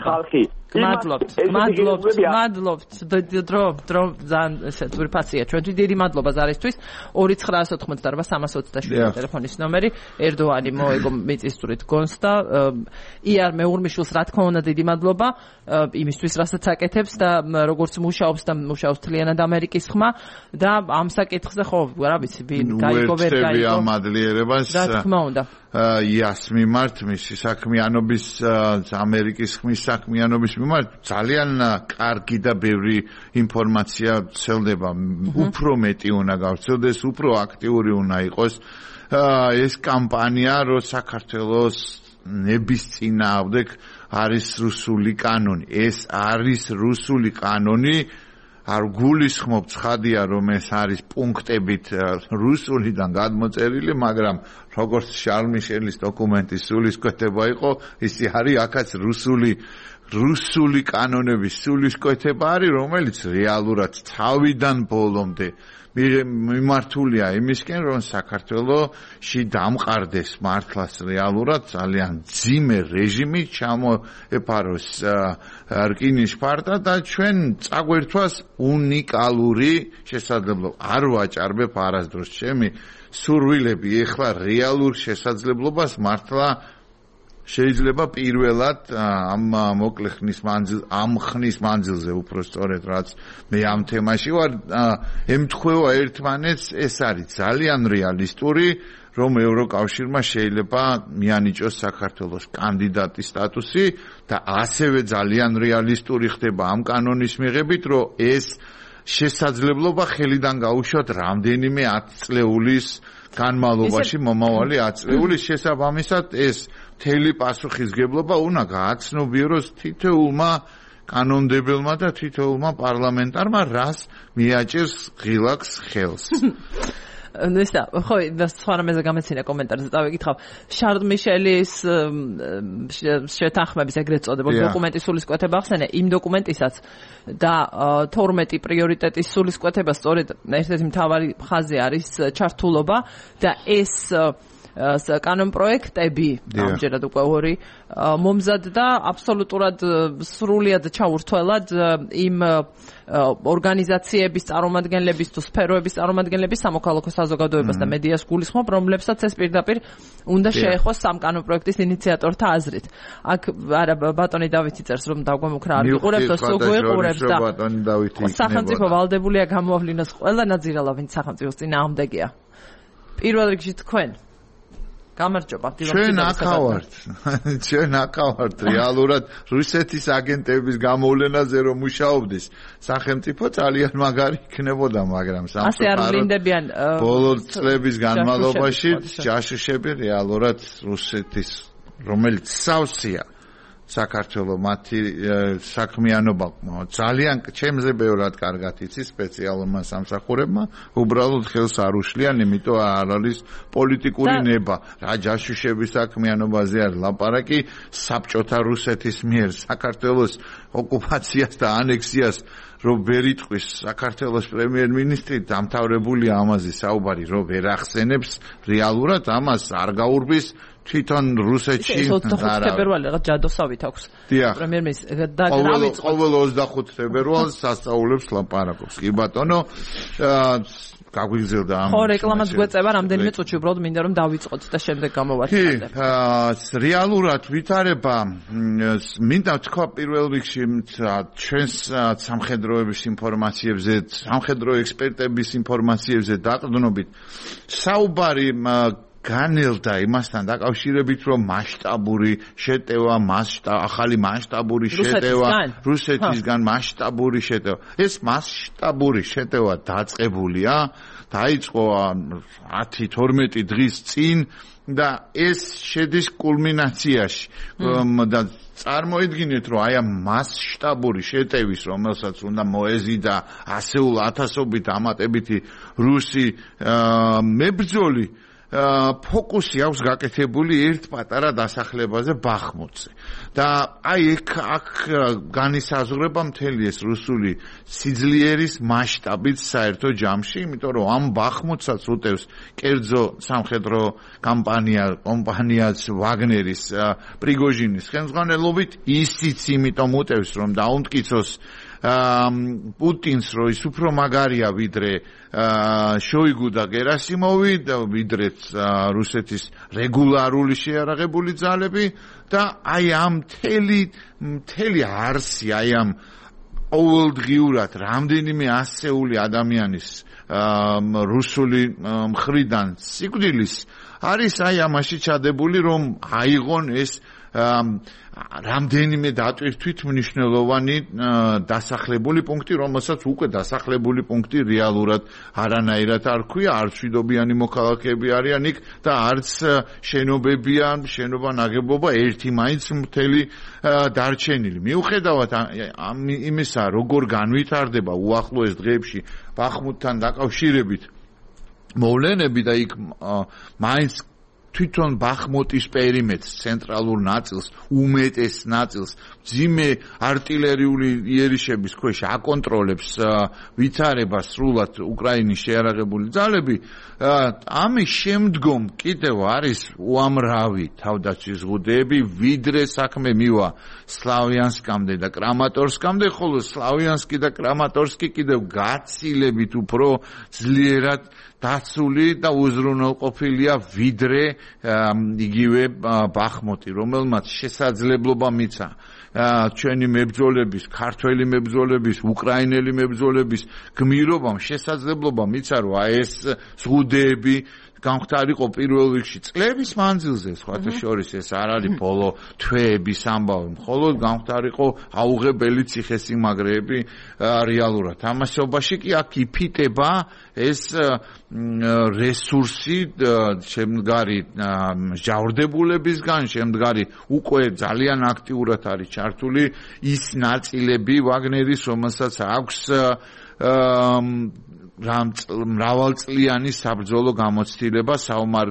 S3: ხალხი
S1: მადლობთ მადლობთ მადლობთ დრო დრო ძალიან ესე თურფაცია ჩვენთვის დიდი მადლობა ზარისთვის ორი ცხრაას ოთხმოცდაოთხ სამას ოცდაშვიდი ტელეფონის ნომერი ერდოანი მოეგო მიწისძვრით გონს და იარ მეურმიშვილს რა თქმა უნდა დიდი მადლობა იმისთვის რასაც აკეთებს და როგორც მუშაობს და მუშაობს თლიანად ამერიკის ხმა და ამ საკითხზე ხო რა ვიცი ვინ გაიგო ვერ გაიგო
S2: ამ ადლიერებას
S1: რა თქმა უნდა
S2: იას მიმართ მისი საქმიანობის ამერიკის ხმის საქმიანობის მიმართ ძალიან კარგი და ბევრი ინფორმაცია ვრცელდება უფრო მეტი უნდა გავრცელდეს უფრო აქტიური უნდა იყოს ეს კამპანია რომ საქართველოს ნების წინააღმდეგ არის რუსული კანონი ეს არის რუსული კანონი არ გულისხმობ ცხადია რომ ეს არის პუნქტებით რუსულიდან გადმოწერილი მაგრამ როგორც შარლ მიშელის დოკუმენტის სულისკვეთება იყო ისი არის აქაც რუსული რუსული კანონების სულისკვეთება არის რომელიც რეალურად თავიდან ბოლომდე მიმართულია იმისკენ რომ საქართველოში დამყარდეს მართლაც რეალურად ძალიან ძიმე რეჟიმი ჩამოეფაროს რკინის ფარდა და ჩვენ წაგვერთვას უნიკალური შესაძლებლობა არ ვაჭარბებ არასდროს ჩემი სურვილები ეხლა რეალურ შესაძლებლობას მართლა შეიძლება პირველად ამ მოკლე ხნის მანძილ ამ ხნის მანძილზე უფრო სწორედ რაც მე ამ თემაში ვარ ემთხვევა ერთმანეთს ეს არის ძალიან რეალისტური რომ ევროკავშირმა შეიძლება მიანიჭოს საქართველოს კანდიდატის სტატუსი და ასევე ძალიან რეალისტური ხდება ამ კანონის მიღებით რომ ეს შესაძლებლობა ხელიდან გაუშვათ რამდენიმე ათწლეულის განმავლობაში მომავალი ათწლეულის შესაბამისად ეს მთელი პასუხისგებლობა უნდა გააცნობიეროს თითოეულმა კანონმდებელმა და თითოეულმა პარლამენტარმა რას მიაჭერს ღილაკს ხელს.
S1: ნესა, ხო, და სხვა რამეზე გამეცინა კომენტარზე დავიკითხავ. შარლ მიშელის შეთანხმების ეგრეთ წოდებულ დოკუმენტის სულისკვეთება ახსენე, იმ დოკუმენტისაც და თორმეტი პრიორიტეტის სულისკვეთება სწორედ ერთ-ერთი მთავარი ხაზი არის ჩართულობა და ეს კანონპროექტები ამჯერად უკვე ორი მომზადდა აბსოლუტურად სრულიად ჩაურთველად იმ ორგანიზაციების წარმომადგენლების თუ სფეროების წარმომადგენლების სამოქალაქო საზოგადოებას და მედიას გულისხმობ, რომლებსაც ეს პირდაპირ უნდა შეეხოს სამ კანონპროექტის ინიციატორთა აზრით. აქ არა ბატონი დავითი წერს რომ დაგვემუქრა არ ვიყურებთ და სოგვიყურებს და სახელმწიფო ვალდებულია გამოავლინოს ყველა ნაძირალა, ვინც სახელმწიფოს წინააღმდეგია. პირველ რიგში თქვენ გამარჯობა.
S2: ჩვენ აქავართ. ჩვენ აქავართ რეალურად რუსეთის აგენტების გამოვლენაზე რომ მუშაობდეს. სახელმწიფო ძალიან მაგარი იქნებოდა, მაგრამ
S1: სამწუხაროდ
S2: ბოლო წლების განმავლობაში ჯაშუშები რეალურად რუსეთის რომელიც სავსეა საქართველოს მათი საქმიანობა ძალიან ჩემზე ბევრად კარგად იცის სპეციალურმა სამსახურებმა უბრალოდ ხელს არ უშლიან, იმიტომ არ არის პოლიტიკური ნება. რა ჯაშუშების საქმიანობაზე არ ლაპარაკი, საბჭოთა რუსეთის მიერ საქართველოს ოკუპაციას და ანექსიას რომ ვერ იტყვის საქართველოს პრემიერ-მინისტრი დამთავრებულია ამაზე საუბარი, რომ ვერ ახსენებს რეალურად ამას არ გაურბის თვითონ რუსეთში
S1: ოცდახუთი თებერვალი რაღაც ჯადოსავით აქვს პრემიერ-მინისტრი და
S2: დავიწყო ყოველ ოცდახუთი თებერვალს სასწაულებს ლაპარაკობს. კი ბატონო, გაგვიგზელდა ამ
S1: ხო რეკლამაც გვეწევა რამდენიმე წუთში, უბრალოდ მინდა რომ დავიწყოთ და შემდეგ გამოვარდნათ.
S2: კი, რეალურად ვითარება მინდა თქვა პირველ რიგში ჩვენს სამხედროების ინფორმაციებზე, სამხედრო ექსპერტების ინფორმაციებზე დაყრდნობით საუბარი განელდა იმასთან დაკავშირებით, რომ მასშტაბური შეტევა, ახალი მასშტაბური შეტევა, რუსეთისგან მასშტაბური შეტევა. ეს მასშტაბური შეტევა დაწყებულია, დაიწყო ათი თორმეტი დღის წინ და ეს შედის კულმინაციაში. და წარმოიდგინეთ, რომ აი ამ მასშტაბური შეტევის, რომელსაც უნდა მოეზიდა ასეულ ათასობით ამატებითი რუსი მებრძოლი ფოკუსი აქვს გაკეთებული ერთ პატარა დასახლებაზე ბახმუტზე. და აი ეგ აქ განისაზღვრება მთელი ეს რუსული სიძლიერის მასშტაბით საერთო ჯამში, იმიტომ რომ ამ ბახმუტსაც უტევს კერძო სამხედრო კამპანია, კომპანიაც ვაგნერის პრიგოჟინის ხელმძღვანელობით, ისიც იმიტომ უტევს, რომ დაუმტკიცოს პუტინს, რომ ის უფრო მაგარია ვიდრე შოიგუ და გერასიმოვი და ვიდრეც რუსეთის რეგულარული შეიარაღებული ძალები და აი ამ მთელი მთელი არსი, აი ამ ყოველდღიურად რამდენიმე ასეული ადამიანის რუსული მხრიდან სიკვდილის არის აი ამაში ჩადებული, რომ აიღონ ეს რამდენიმე დატვირთვით მნიშვნელოვანი დასახლებული პუნქტი, რომელსაც უკვე დასახლებული პუნქტი რეალურად არანაირად არ ქვია, არც მშვიდობიანი მოქალაქეები არიან იქ და არც შენობებია, შენობა ნაგებობა ერთი მაინც მთელი დარჩენილი. მიუხედავად იმისა, როგორ განვითარდება უახლოეს დღეებში ბახმუტთან დაკავშირებით მოვლენები და იქ მაინც თვითონ ბახმუტის პერიმეტრს, ცენტრალურ ნაწილს, უმეტეს ნაწილს ძიმე артиლერიული იერიშების ქვეშ აკონტროლებს ვითარებას სრულად უკრაინის შეიარაღებული ძალები. ამის შემდგომ კიდევ არის უამრავი თავდაცვის ზღუდეები, ვიდრე საქმე მივა სლავიანსკამდე და კრამატორსკამდე, ხოლო სლავიანსკი და კრამატორსკი კიდევ გაცილებით უფრო ძლიერად დაცული და უზრუნველყოფილია ვიდრე იგივე ბახმუტი, რომელმაც შესაძლებლობა მიცა ჩვენი მებრძოლების, ქართველი მებრძოლების, უკრაინელი მებრძოლების გმირობამ შესაძლებლობა მიცა, რომ ეს ზღუდეები გამختარიყო პირველ რიგში წლების მანძილზე, სხვათა შორის ეს არ არის ბოლო თვეების ამბავი, მხოლოდ გამختარიყო აუღებელი ციხესიმაგრეები რეალურად. ამასობაში კი აქ იფიტება ეს რესურსი შემდგარი ჟავრდებულებისგან, შემდგარი უკვე ძალიან აქტიურად არის ჩართული ის ნაწილები ვაგნერის, რომელსაც აქვს მრავალწლიანი საბრძოლო გამოცდილება საომარ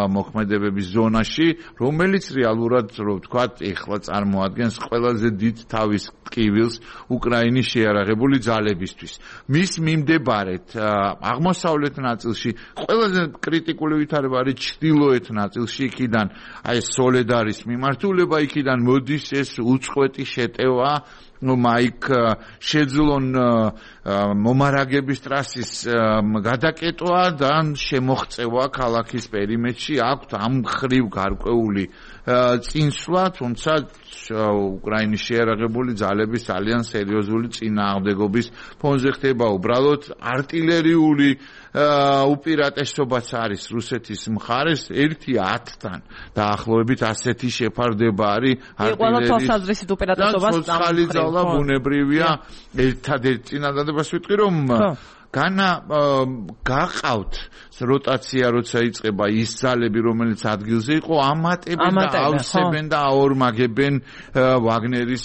S2: მოქმედებების ზონაში, რომელიც რეალურად, რო ვთქვათ, ეხლა წარმოადგენს ყველაზე დიდ თავის ტკივილს უკრაინის შეიარაღებული ძალებისთვის. მის მიმდებარედ აღმოსავლეთ ნაწილში ყველაზე კრიტიკული ვითარება არის ჩრდილოეთ ნაწილში, იქიდან აი სოლედარის მიმართულება, იქიდან მოდის ეს უწყვეტი შეტევა მაიქ შეძლონ მომარაგების ტრასის გადაკეტვა და შემოღწევა ქალაქის პერიმეტრში, აქვთ ამ ხრივ გარკვეული წინსვლა, თუმცა უკრაინის შეიარაღებული ძალების ძალიან სერიოზული წინააღმდეგობის ფონზე ხდება უბრალოდ არტილერიული უპირატესობაც არის რუსეთის მხარეს ერთი ათთან დაახლოებით ასეთი შეფარდება არის
S1: არტილერიის
S2: უპირატესობას ბუნებრივია ერთადერთი წინადადებას ვიტყვი რომ განა გაყავთ როტაცია როცა იწყება ის ძალები რომელიც ადგილზე იყო ამატებენ და ავსებენ და აორმაგებენ ვაგნერის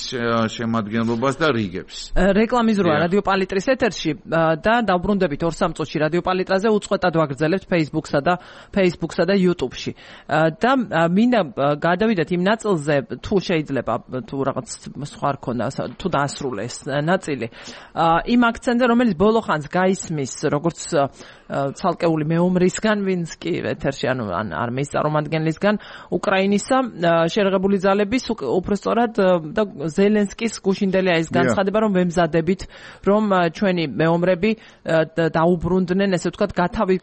S2: შემადგენლობას და რიგებს.
S1: რეკლამის როა რადიო პალიტრის ეთერში და დავბრუნდებით ორ სამ წუთში რადიო პალიტრაზე უწყვეტად ვაგრძელებთ Facebook-სა და Facebook-სა და YouTube-ში. და მინდა გადავიდეთ იმ ნაწილზე თუ შეიძლება თუ რაღაც სხვა რქონა თუ დაასრულეს ნაწილი იმ აქცენტზე რომელიც ბოლო ხანს გაისმის როგორც ცალკეული მეომრისგან, ვინც კი ეთერში ანუ არმიის წარმომადგენლისგან უკრაინისა შეიარაღებული ძალების უпростоრად და ზელენსკის გუშინდელი ის განცხადება რომ ვემზადებით რომ ჩვენი მეომრები დაუბრუნდნენ ესე ვთქვათ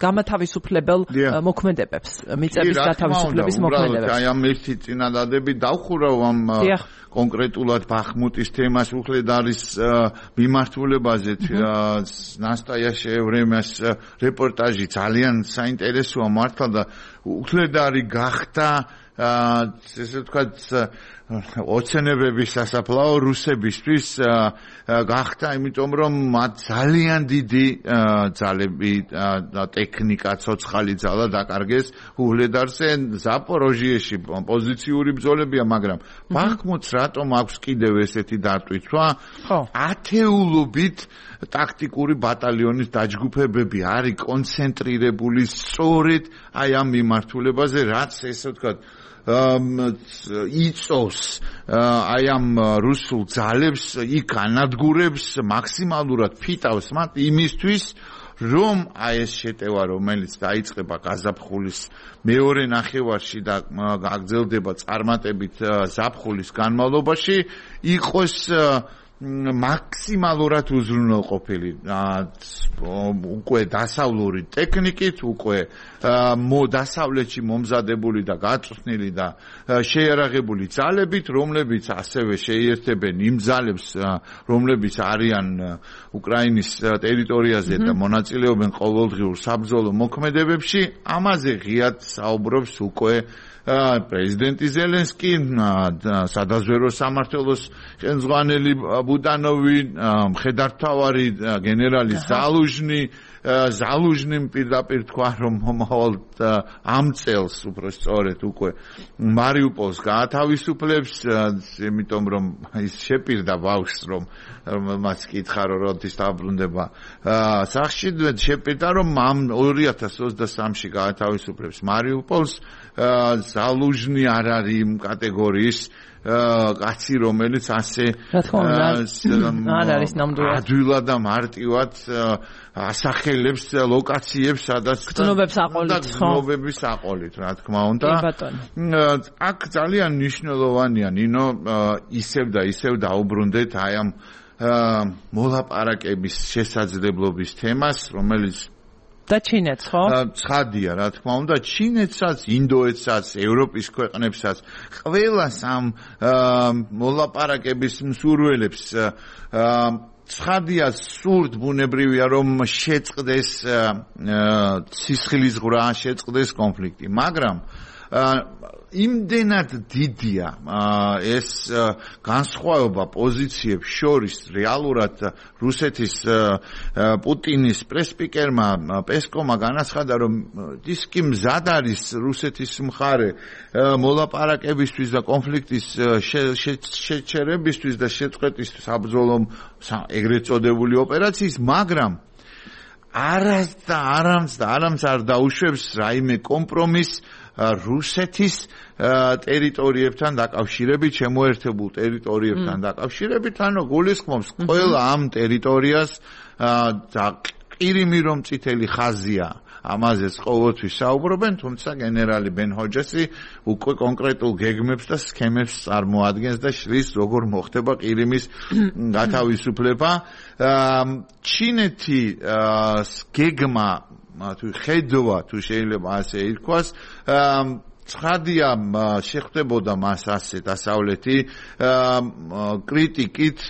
S1: გამათავისუფლებელ მოქმედებებს მიწების გათავისუფლების მოქმედებებს.
S2: აი ამ ერთი წინადადები დავხურავ ამ კონკრეტულად ბახმუტის თემას უხლედარის მიმართულებაზე ნასტაია შეევრემას რეპორტაჟი ძალიან საინტერესოა მართლა და უხლედარი გახდა ესე ვთქვათ ოცნებების სასაფლაო რუსებისთვის გახდა იმიტომ რომ მათ ძალიან დიდი ძალები და ტექნიკა ცოცხალი ძალა დაკარგეს უხლედარზე ზაპოროჟიეში პოზიციური ბრძოლებია მაგრამ ბახმუტს რატომ აქვს კიდევ ესეთი დატვირთვა ათეულობით ტაქტიკური ბატალიონის დაჯგუფებები არის კონცენტრირებული სწორედ აი ამ მიმართულებაზე რაც ესე ვთქვათ იწოვს აი ამ რუსულ ძალებს იქ ანადგურებს მაქსიმალურად ფიტავს მათ იმისთვის რომ აი ეს შეტევა რომელიც დაიწყება გაზაფხულის მეორე ნახევარში და გაგრძელდება წარმატებით ზაფხულის განმავლობაში იყოს მაქსიმალურად უზრუნველყოფილი უკვე დასავლური ტექნიკით, უკვე დასავლეთში მომზადებული და გაწვრთნილი და შეიარაღებული ძალებით, რომლებიც ასევე შეიერთებენ იმ ძალებს, რომლებიც არიან უკრაინის ტერიტორიაზე და მონაწილეობენ ყოველდღიურ საბრძოლო მოქმედებებში, ამაზე ღიად საუბრობს უკვე პრეზიდენტი ზელენსკი, სადაზვერო სამმართველოს ხელმძღვანელი ბუდანოვი, მხედართმთავარი გენერალი ზალუჟნი, ზალუჟნიმ პირდაპირ თქვა რომ მომავალ ამ წელს უფრო სწორედ უკვე მარიუპოლს გაათავისუფლებს, იმიტომ რომ ის შეპირდა ბავშვს რომ მას კითხა რომ როდის დაბრუნდება სახლში, შეპირდა რომ ამ ორი ათას ოცდასამში გაათავისუფლებს მარიუპოლს. ზალუჟნი არ არის იმ კატეგორიის კაცი რომელიც ასე
S1: არ არის ნამდვილად
S2: ადვილად და მარტივად ასახელებს ლოკაციებს სადაც
S1: გრძნობებს აყოლით
S2: გრძნობების აყოლით რა თქმა უნდა აქ ძალიან მნიშვნელოვანია ნინო ისევ და ისევ დაუბრუნდეთ აი ამ მოლაპარაკების შესაძლებლობის თემას რომელიც
S1: და ჩინეთს ხო?
S2: ცხადია რა თქმა უნდა ჩინეთსაც, ინდოეთსაც, ევროპის ქვეყნებსაც ყველას ამ მოლაპარაკების მსურველებს ცხადია სურთ ბუნებრივია რომ შეწყდეს სისხლის ღრა, შეწყდეს კონფლიქტი, მაგრამ იმდენად დიდია ეს განსხვავება პოზიციებს შორის რეალურად რუსეთის პუტინის პრესპიკერმა პესკოვმა განაცხადა რომ ის კი მზად არის რუსეთის მხარე მოლაპარაკებისთვის და კონფლიქტის შეჩერებისთვის და შეწყვეტის საბრძოლო ეგრეთ წოდებული ოპერაციის, მაგრამ არას და არამც და არამც არ დაუშვებს რაიმე კომპრომისს რუსეთის ტერიტორიებთან დაკავშირებით, შემოერთებულ ტერიტორიებთან დაკავშირებით, ანუ გულისხმობს ყველა ამ ტერიტორიას და ყირიმი რომ წითელი ხაზია, ამაზეც ყოველთვის საუბრობენ, თუმცა გენერალი ბენ-ჰოჯესი უკვე კონკრეტულ გეგმებს და სქემებს წარმოადგენს და შლის როგორ მოხდება ყირიმის გათავისუფლება. ჩინეთი გეგმა თუ ხედვა თუ შეიძლება ასე ითქვას ცხადია შეხვდებოდა მას ასე დასავლეთი კრიტიკით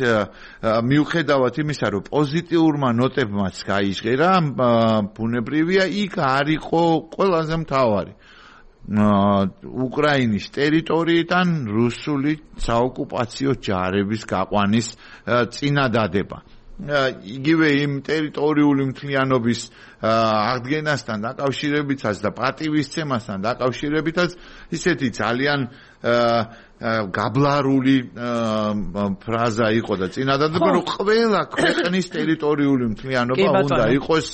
S2: მიუხედავად იმისა რომ პოზიტიურმა ნოტებმაც გაიჟღერა ბუნებრივია იქ არ იყო ყველაზე მთავარი უკრაინის ტერიტორიიდან რუსული საოკუპაციო ჯარების გაყვანის წინადადება იგივე იმ ტერიტორიული მთლიანობის აღდგენასთან დაკავშირებითაც და პატივისცემასთან დაკავშირებითაც ისეთი ძალიან გაბლარული ფრაზა იყო და წინადადება რომ ყველა ქვეყნის ტერიტორიული მთლიანობა უნდა იყოს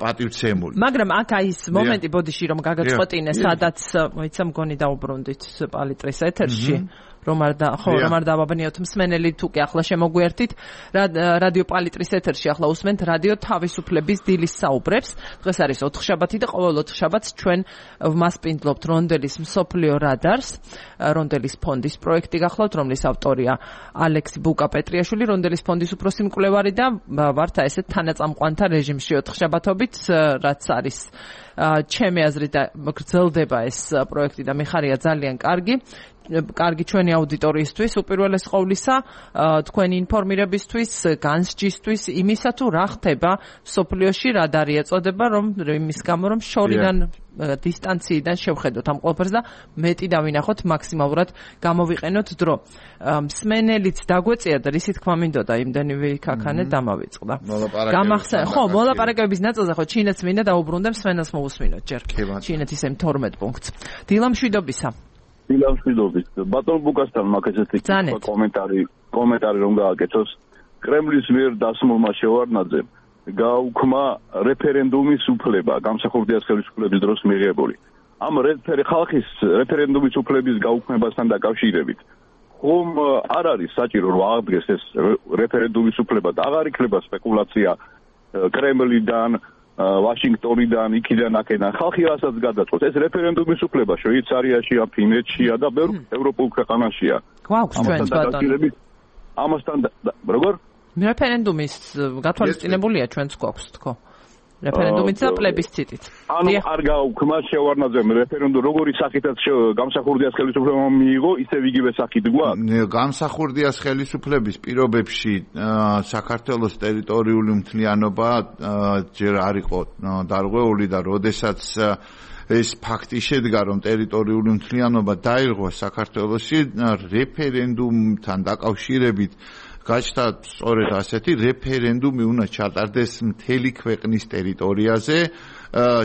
S2: პატივცემული. მაგრამ
S1: აქ აი ის მომენტი ბოდიში რომ გაგაწყვეტინე სადაც მოიცა მგონი დაუბრუნდით პალიტრის ეთერში რომ არ და ხო რომ არ დავაბნიოთ მსმენელი თუ კი ახლა შემოგვიერთით რადიო პალიტრის ეთერში ახლა უსმენთ რადიო თავისუფლების დილის საუბრებს დღეს არის ოთხშაბათი და ყოველ ოთხშაბათს ჩვენ ვმასპინძლობთ რონდელის მსოფლიო რადარს რონდელის ფონდის პროექტი გახლავთ რომლის ავტორია ალექსი ბუკა-პეტრიაშვილი რონდელის ფონდის უფროსი მკვლევარი და ვართ ესეთ თანაწამყვანთა რეჟიმში ოთხშაბათობით რაც არის ჩემი აზრით გრძელდება ეს პროექტი და მიხარია ძალიან კარგი კარგი ჩვენი აუდიტორიისთვის უპირველეს ყოვლისა თქვენი ინფორმირებისთვის განსჯისთვის იმისა თუ რა ხდება სოფლიოში რა დარიეწოდება რომ იმის გამო რომ შორიდან დისტანციიდან შევხედოთ ამ ყველაფერს და მეტი დავინახოთ მაქსიმალურად გამოვიყენოთ დრო მსმენელიც დაგვეწია და რისი თქმა მინდოდა იმდენივე ქაქანე დამავიწყდა გამახსენე ხო მოლაპარაკებების ნაწილზე ხო ჩინეთს მინდა დაუბრუნდე მსმენელს მოусმინოთ ჯერ ჩინეთის ემ თორმეტ პუნქტს დილა მშვიდობისა
S4: დილამშვიდობის ბატონ ბუკასთან მაქვს ესეთი კომენტარი კომენტარი რომ გააკეთოს კრემლის მიერ დასმულმა შევარდნაძემ გაუქმა რეფერენდუმის უფლება გამსახურდიას ხელისუფლების დროს მიღებული ამ ხალხის რეფერენდუმის უფლების გაუქმებასთან დაკავშირებით ხომ არ არის საჭირო რომ აღდგეს ეს რეფერენდუმის უფლება და აღარ იქნება სპეკულაცია კრემლიდან ვაშინგტონიდან, იქიდან, აქედან ხალხი რასაც გადაწყვეტს, ეს რეფერენდუმის უფლება შვეიცარიაშია, ფინეთშია და ბევრ ევროპულ ქვეყანაშია.
S1: გვაქვს ჩვენს ბატონო.
S4: ამასთან როგორ?
S1: რეფერენდუმის გათვალისწინებულია ჩვენს გვაქვს თქო. რეფერენდუმით და პლებისციტით.
S4: ანუ არ გაუქმა შევარდნაძემ რეფერენდუმ როგორი სახითაც გამსახურდიას ხელისუფლებამ მიიღო, ისევ იგივე სახით გვაქვს.
S2: გამსახურდიას ხელისუფლების პირობებში საქართველოს ტერიტორიული მთლიანობა ჯერ არ იყო დარღვეული და როდესაც ეს ფაქტი შედგა რომ ტერიტორიული მთლიანობა დაირღვა საქართველოში რეფერენდუმთან დაკავშირებით გაჩნდა სწორედ ასეთი რეფერენდუმი უნდა ჩატარდეს მთელი ქვეყნის ტერიტორიაზე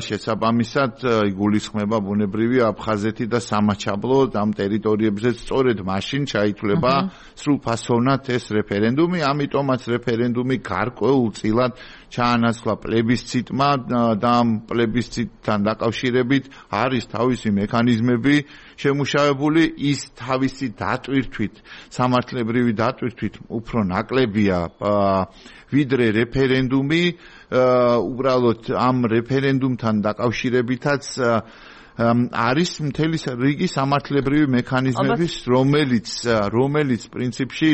S2: შესაბამისად იგულისხმება ბუნებრივი აფხაზეთი და სამაჩაბლო ამ ტერიტორიებზე სწორედ მაშინ ჩაითვლება სრულფასოვნად ეს რეფერენდუმი ამიტომაც რეფერენდუმი გარკვეულწილად ჩაანაცვლა პლებისციტმა და ამ პლებისციტთან დაკავშირებით არის თავისი მექანიზმები შემუშავებული ის თავისი დატვირთვით სამართლებრივი დატვირთვით უფრო ნაკლებია ვიდრე რეფერენდუმი უბრალოდ ამ რეფერენდუმთან დაკავშირებითაც არის მთელი რიგი სამართლებრივი მექანიზმების, რომელიც რომელიც პრინციპში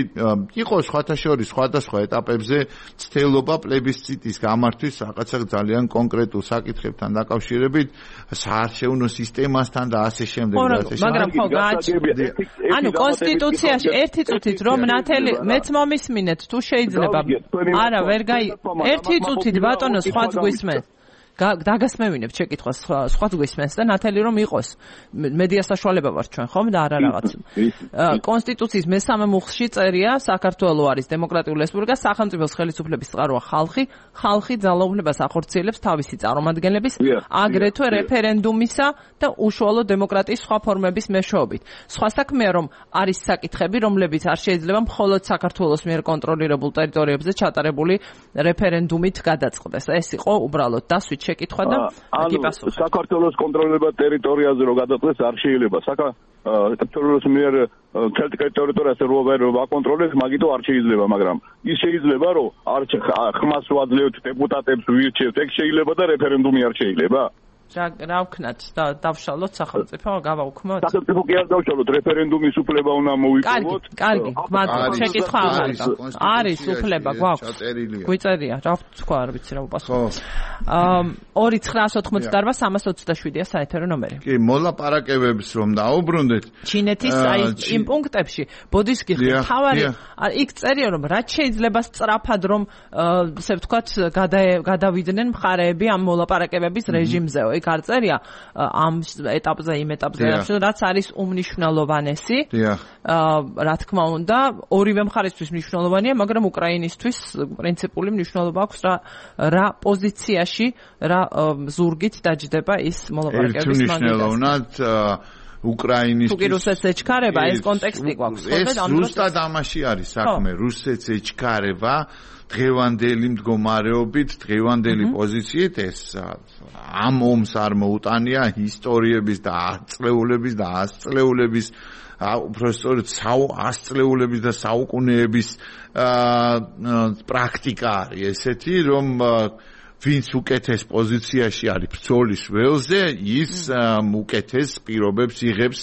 S2: იყო სხვათა შორის სხვადასხვა ეტაპებზე ცდელობა პლებისციტის გამართვის რაღაცა ძალიან კონკრეტულ საკითხებთან დაკავშირებით, საარჩევნო სისტემასთან და ასე შემდეგ და ასე შემდეგ.
S1: მაგრამ ხო ანუ კონსტიტუციაში ერთი წუთით რომ ნათელი მეც მომისმინეთ თუ შეიძლება არა ვერ გაი ერთი წუთით ბატონო სხვაც გვისმენთ დაგასმევინებ შეკითხვას სხვაც გვისმენს და ნათელი რომ იყოს მედია საშუალება ვარ ჩვენ ხომ და არა რაღაც კონსტიტუციის მესამე მუხლში წერია საქართველოს არის დემოკრატიული რესპუბლიკა სახელმწიფოს ხელისუფლების წყაროა ხალხი ხალხი ძალაუფლებას ახორციელებს თავისი წარმომადგენლების აგრეთვე რეფერენდუმისა და უშუალო დემოკრატიის სხვა ფორმების მეშვეობით სხვა საქმეა რომ არის საკითხები რომლებიც არ შეიძლება მხოლოდ საქართველოს მიერ კონტროლირებულ ტერიტორიებზე ჩატარებული რეფერენდუმით გადაწყდეს ეს იყო უბრალოდ დასვით შეკითხვა და გიპასუხეთ.
S4: საქართველოს კონტროლება ტერიტორიაზე რო გადაწყდეს არ შეიძლება. საქართველოს მიერ ტერიტორიაზე რო ვერ აკონტროლებს, მაგითო არ შეიძლება, მაგრამ ის შეიძლება რომ არ ხმას ვაძლევთ დეპუტატებს ვირჩევთ, ეგ შეიძლება და რეფერენდუმი არ შეიძლება.
S1: რა ვქნათ და დავშალოთ სახელმწიფო გავაუქმოთ.
S4: სახელმწიფო კი არ დავშალოთ, რეფერენდუმის უფლება უნდა მოვიპოვოთ.
S1: კარგი, კარგი, შეკითხვა აღარდა. არის უფლება გვაქვს. გვიწერია, რა თქვა, არ ვიცი რა უპასუხო. ორი ცხრაას ოთხმოცდაარბა სამას ოცდაშვიდია საეთერო ნომერი.
S2: კი, მოლაპარაკებებს რომ დაუბრუნდეთ.
S1: ჩინეთის აი იმ პუნქტებში ბოდის გიხდით, თავარი იქ წერია რომ რაც შეიძლება სწრაფად რომ ესე ვთქვათ გადავიდნენ მხარეები ამ მოლაპარაკებების რეჟიმზე. იქ არ წერია ამ ეტაპზე იმ ეტაპზე რაც არის უმნიშვნელოვანესი. რა თქმა უნდა, ორივე მხარისთვის მნიშვნელოვანია, მაგრამ უკრაინისთვის პრინციპული მნიშვნელობა აქვს რა რა პოზიციაში, რა ზურგით დაჯდება ის მოლაპარაკებების მაგალითად.
S2: მნიშვნელოვნად უკრაინის
S1: თუ რუსეთს ეჩქარება ეს კონტექსტი გვაქვს.
S2: ეს ზუსტად ამაში არის საქმე, რუსეთს ეჩქარება დღევანდელი მდგომარეობით, დღევანდელი პოზიციით ეს ამ ომს არ მოუტანია ისტორიების და აწლეულების და ასწლეულების უბრალოდ ასწლეულების და საუკუნეების პრაქტიკა არის ესეთი რომ ვინც უკეთეს პოზიციაში არის ბრძოლის ველზე, ის უკეთეს პირობებს იღებს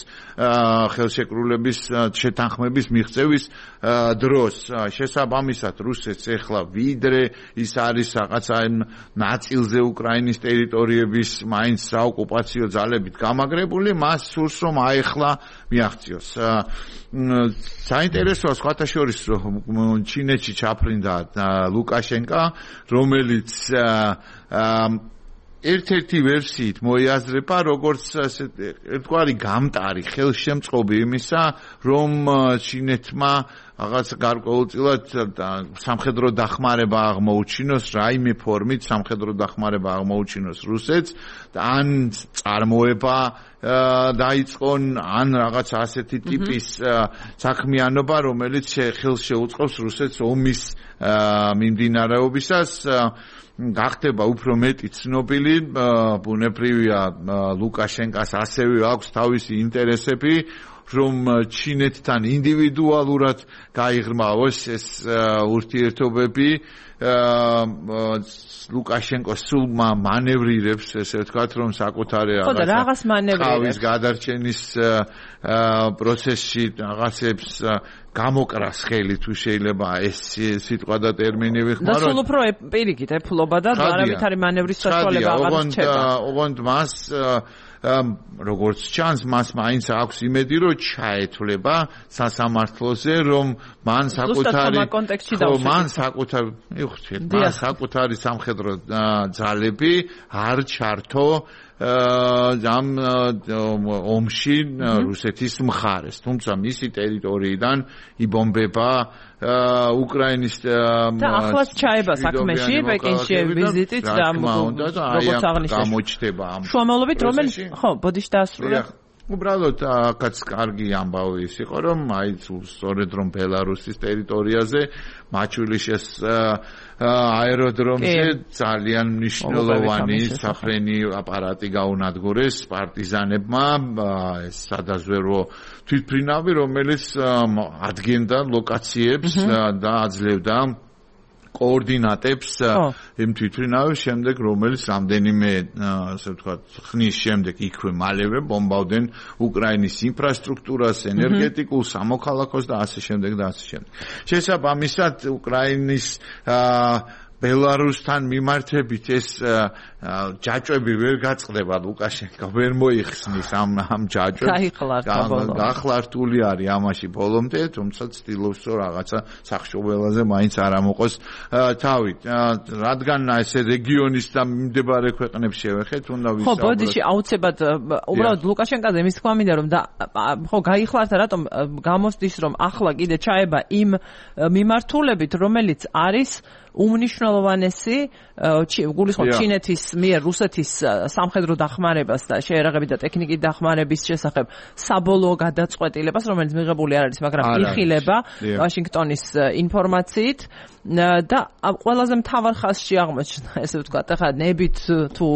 S2: ხელშეკრულების შეთანხმების მიღწევის დროს. შესაბამისად, რუსეთს ეხლა ვიდრე ის არის რაღაცა ნაწილზე უკრაინის ტერიტორიების მაინც საოკუპაციო ძალებით გამაგრებული, მას სურს რომ აეხლა მიაღწიოს. საინტერესოა სხვათა შორის რომ ჩინეთში ჩაფრინდა ლუკაშენკა, რომელიც ერთ-ერთი ვერსიით მოიაზრება როგორც ერთგვარი გამტარი ხელშემწყობი იმისა, რომ ჩინეთმა რაღაც გარკვეულწილად სამხედრო დახმარება აღმოუჩინოს, რაიმე ფორმით სამხედრო დახმარება აღმოუჩინოს რუსეთს და ან წარმოება დაიწყონ, ან რაღაც ასეთი ტიპის საქმიანობა, რომელიც ხელს შეუწყობს რუსეთს ომის მიმდინარეობისას. გახდება უფრო მეტი ცნობილი, ბუნებრივია ლუკაშენკას ასევე აქვს თავისი ინტერესები, რომ ჩინეთთან ინდივიდუალურად გაიღრმავოს ეს ურთიერთობები. ლუკაშენკო სულ მანევრირებს, ესე ვთქვათ, რომ საკუთარი
S1: რაღაცა
S2: გადარჩენის პროცესში რაღაცებს გამოკრას ხელი თუ შეიძლება ეს სიტყვა და ტერმინი ვიხმაროთ.
S1: და სულ უფრო პირიქით ეფლობა და არავითარი მანევრის საშუალება აღარ რჩება.
S2: ოღონდ მას როგორც ჩანს, მას მაინც აქვს იმედი, რომ ჩაეთვლება სასამართლოზე, რომ მან საკუთარი მან საკუთარი მივხვდით, მან საკუთარი სამხედრო ძალები არ ჩართო ამ ომში რუსეთის მხარეს, თუმცა მისი ტერიტორიიდან იბომბება უკრაინის
S1: და ახლაც ჩაება საქმეში პეკინში ვიზიტით და როგორც აღნიშნეთ
S2: გამოჩდება ამ
S1: შუამავლობით რომელი ხო ბოდიში დაასრულა.
S2: უბრალოდ აქაც კარგი ამბავი ის იყო, რომ აი სწორედ რომ ბელარუსის ტერიტორიაზე მაჩულიშეს აეროდრომზე ძალიან მნიშვნელოვანი საფრენი აპარატი გაუნადგურეს პარტიზანებმა, ეს სადაზვერვო თვითმფრინავი, რომელიც ადგენდა ლოკაციებს და აძლევდა კოორდინატებს იმ თვითმფრინავის შემდეგ, რომელიც რამდენიმე, ასე ვთქვათ, ხნის შემდეგ იქვე მალევე ბომბავდნენ უკრაინის ინფრასტრუქტურას, ენერგეტიკულ, სამოქალაქოს და ასე შემდეგ და ასე შემდეგ. შესაბამისად, უკრაინის ბელარუსთან მიმართებით ეს ჯაჭვები ვერ გაწყდება, ლუკაშენკო ვერ მოიხსნის ამ ამ ჯაჭვებს. გახლართული არის ამაში ბოლომდე, თუმცა ცდილობს რომ რაღაცა სახშობელაზე მაინც არ ამოყოს თავი. რადგან ესე რეგიონის და მიმდებარე ქვეყნებს შევეხეთ, უნდა ვისაუბროთ.
S1: ხო, ბოდიში აუცილებლად უბრალოდ ლუკაშენკოზე მის თქვა მინდა რომ და ხო გაიხლარდა რატომ გამოსდის რომ ახლა კიდე ჩაება იმ მიმართულებით, რომელიც არის უმნიშვნელოვანესი გულისხმობ ჩინეთის მიერ რუსეთის სამხედრო დახმარებას და შეერაღებით და ტექნიკის დახმარების შესახებ საბოლოო გადაწყვეტილებას, რომელიც მიღებული არ არის, მაგრამ იხილება ვაშინგტონის ინფორმაციით და ყველაზე მთავარ ხაზში აღმოჩნდა, ესე ვთქვათ, ახლა ნებით თუ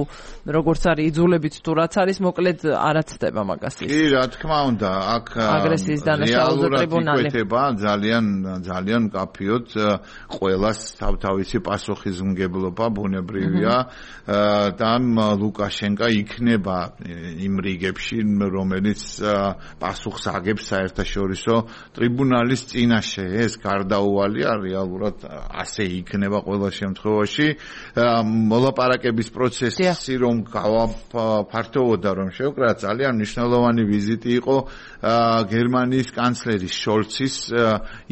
S1: როგორც არის იძულებით თუ რაც არის, მოკლედ არაცდება მაგას ის.
S2: კი, რა თქმა უნდა, აქ
S1: აგრესიის დანაშაულზე ტრიბუნალი
S2: იკვეთება ძალიან ძალიან კაფიოდ ყველას თავთავისი პასუხისმგებლობა ბუნებრივია და ლუკაშენკო იქნება იმ რიგებში, რომელიც პასუხს აგებს საერთაშორისო ტრიბუნალის წინაშე. ეს გარდაუვალია რეალურად ასე იქნება ყველა შემთხვევაში. მოლაპარაკების პროცესი რომ გავაფართოვოდა, რომ შევკრა, ძალიან მნიშვნელოვანი ვიზიტი იყო გერმანიის კანცლერის შოლცის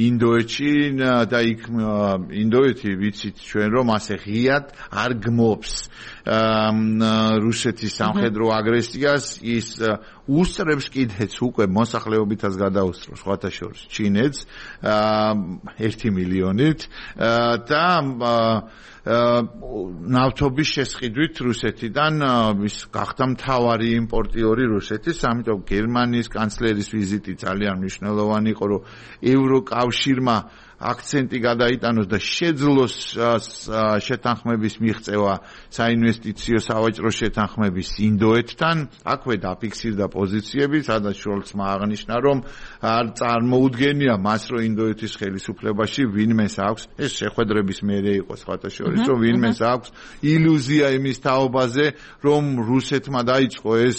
S2: ინდოეთში და იქ ინდოეთი ვიცით ჩვენ რომ ასე ღიად არ გმობს რუსეთის სამხედრო აგრესიას, ის უსწრებს კიდეც უკვე მოსახლეობითაც გადაუსწრებს სხვათა შორის ჩინეთს ერთი მილიონით და ნავთობის შესყიდვით რუსეთიდან ის გახდა მთავარი იმპორტიორი რუსეთის, ამიტომ გერმანიის კანცლერის ვიზიტი ძალიან მნიშვნელოვანი იყო, რომ ევროკავშირმა აქცენტი გადაიტანოს და შეძლოს შეთანხმების მიღწევა საინვესტიციო სავაჭრო შეთანხმების ინდოეთთან. აქვე დაფიქსირდა პოზიციები, სადაც შოლცმა აღნიშნა, რომ არ წარმოუდგენია მას, რომ ინდოეთის ხელისუფლებაში ვინმეს აქვს, ეს შეხვედრების მერე იყო სხვათა შორის, რომ ვინმეს აქვს ილუზია იმის თაობაზე, რომ რუსეთმა დაიწყო ეს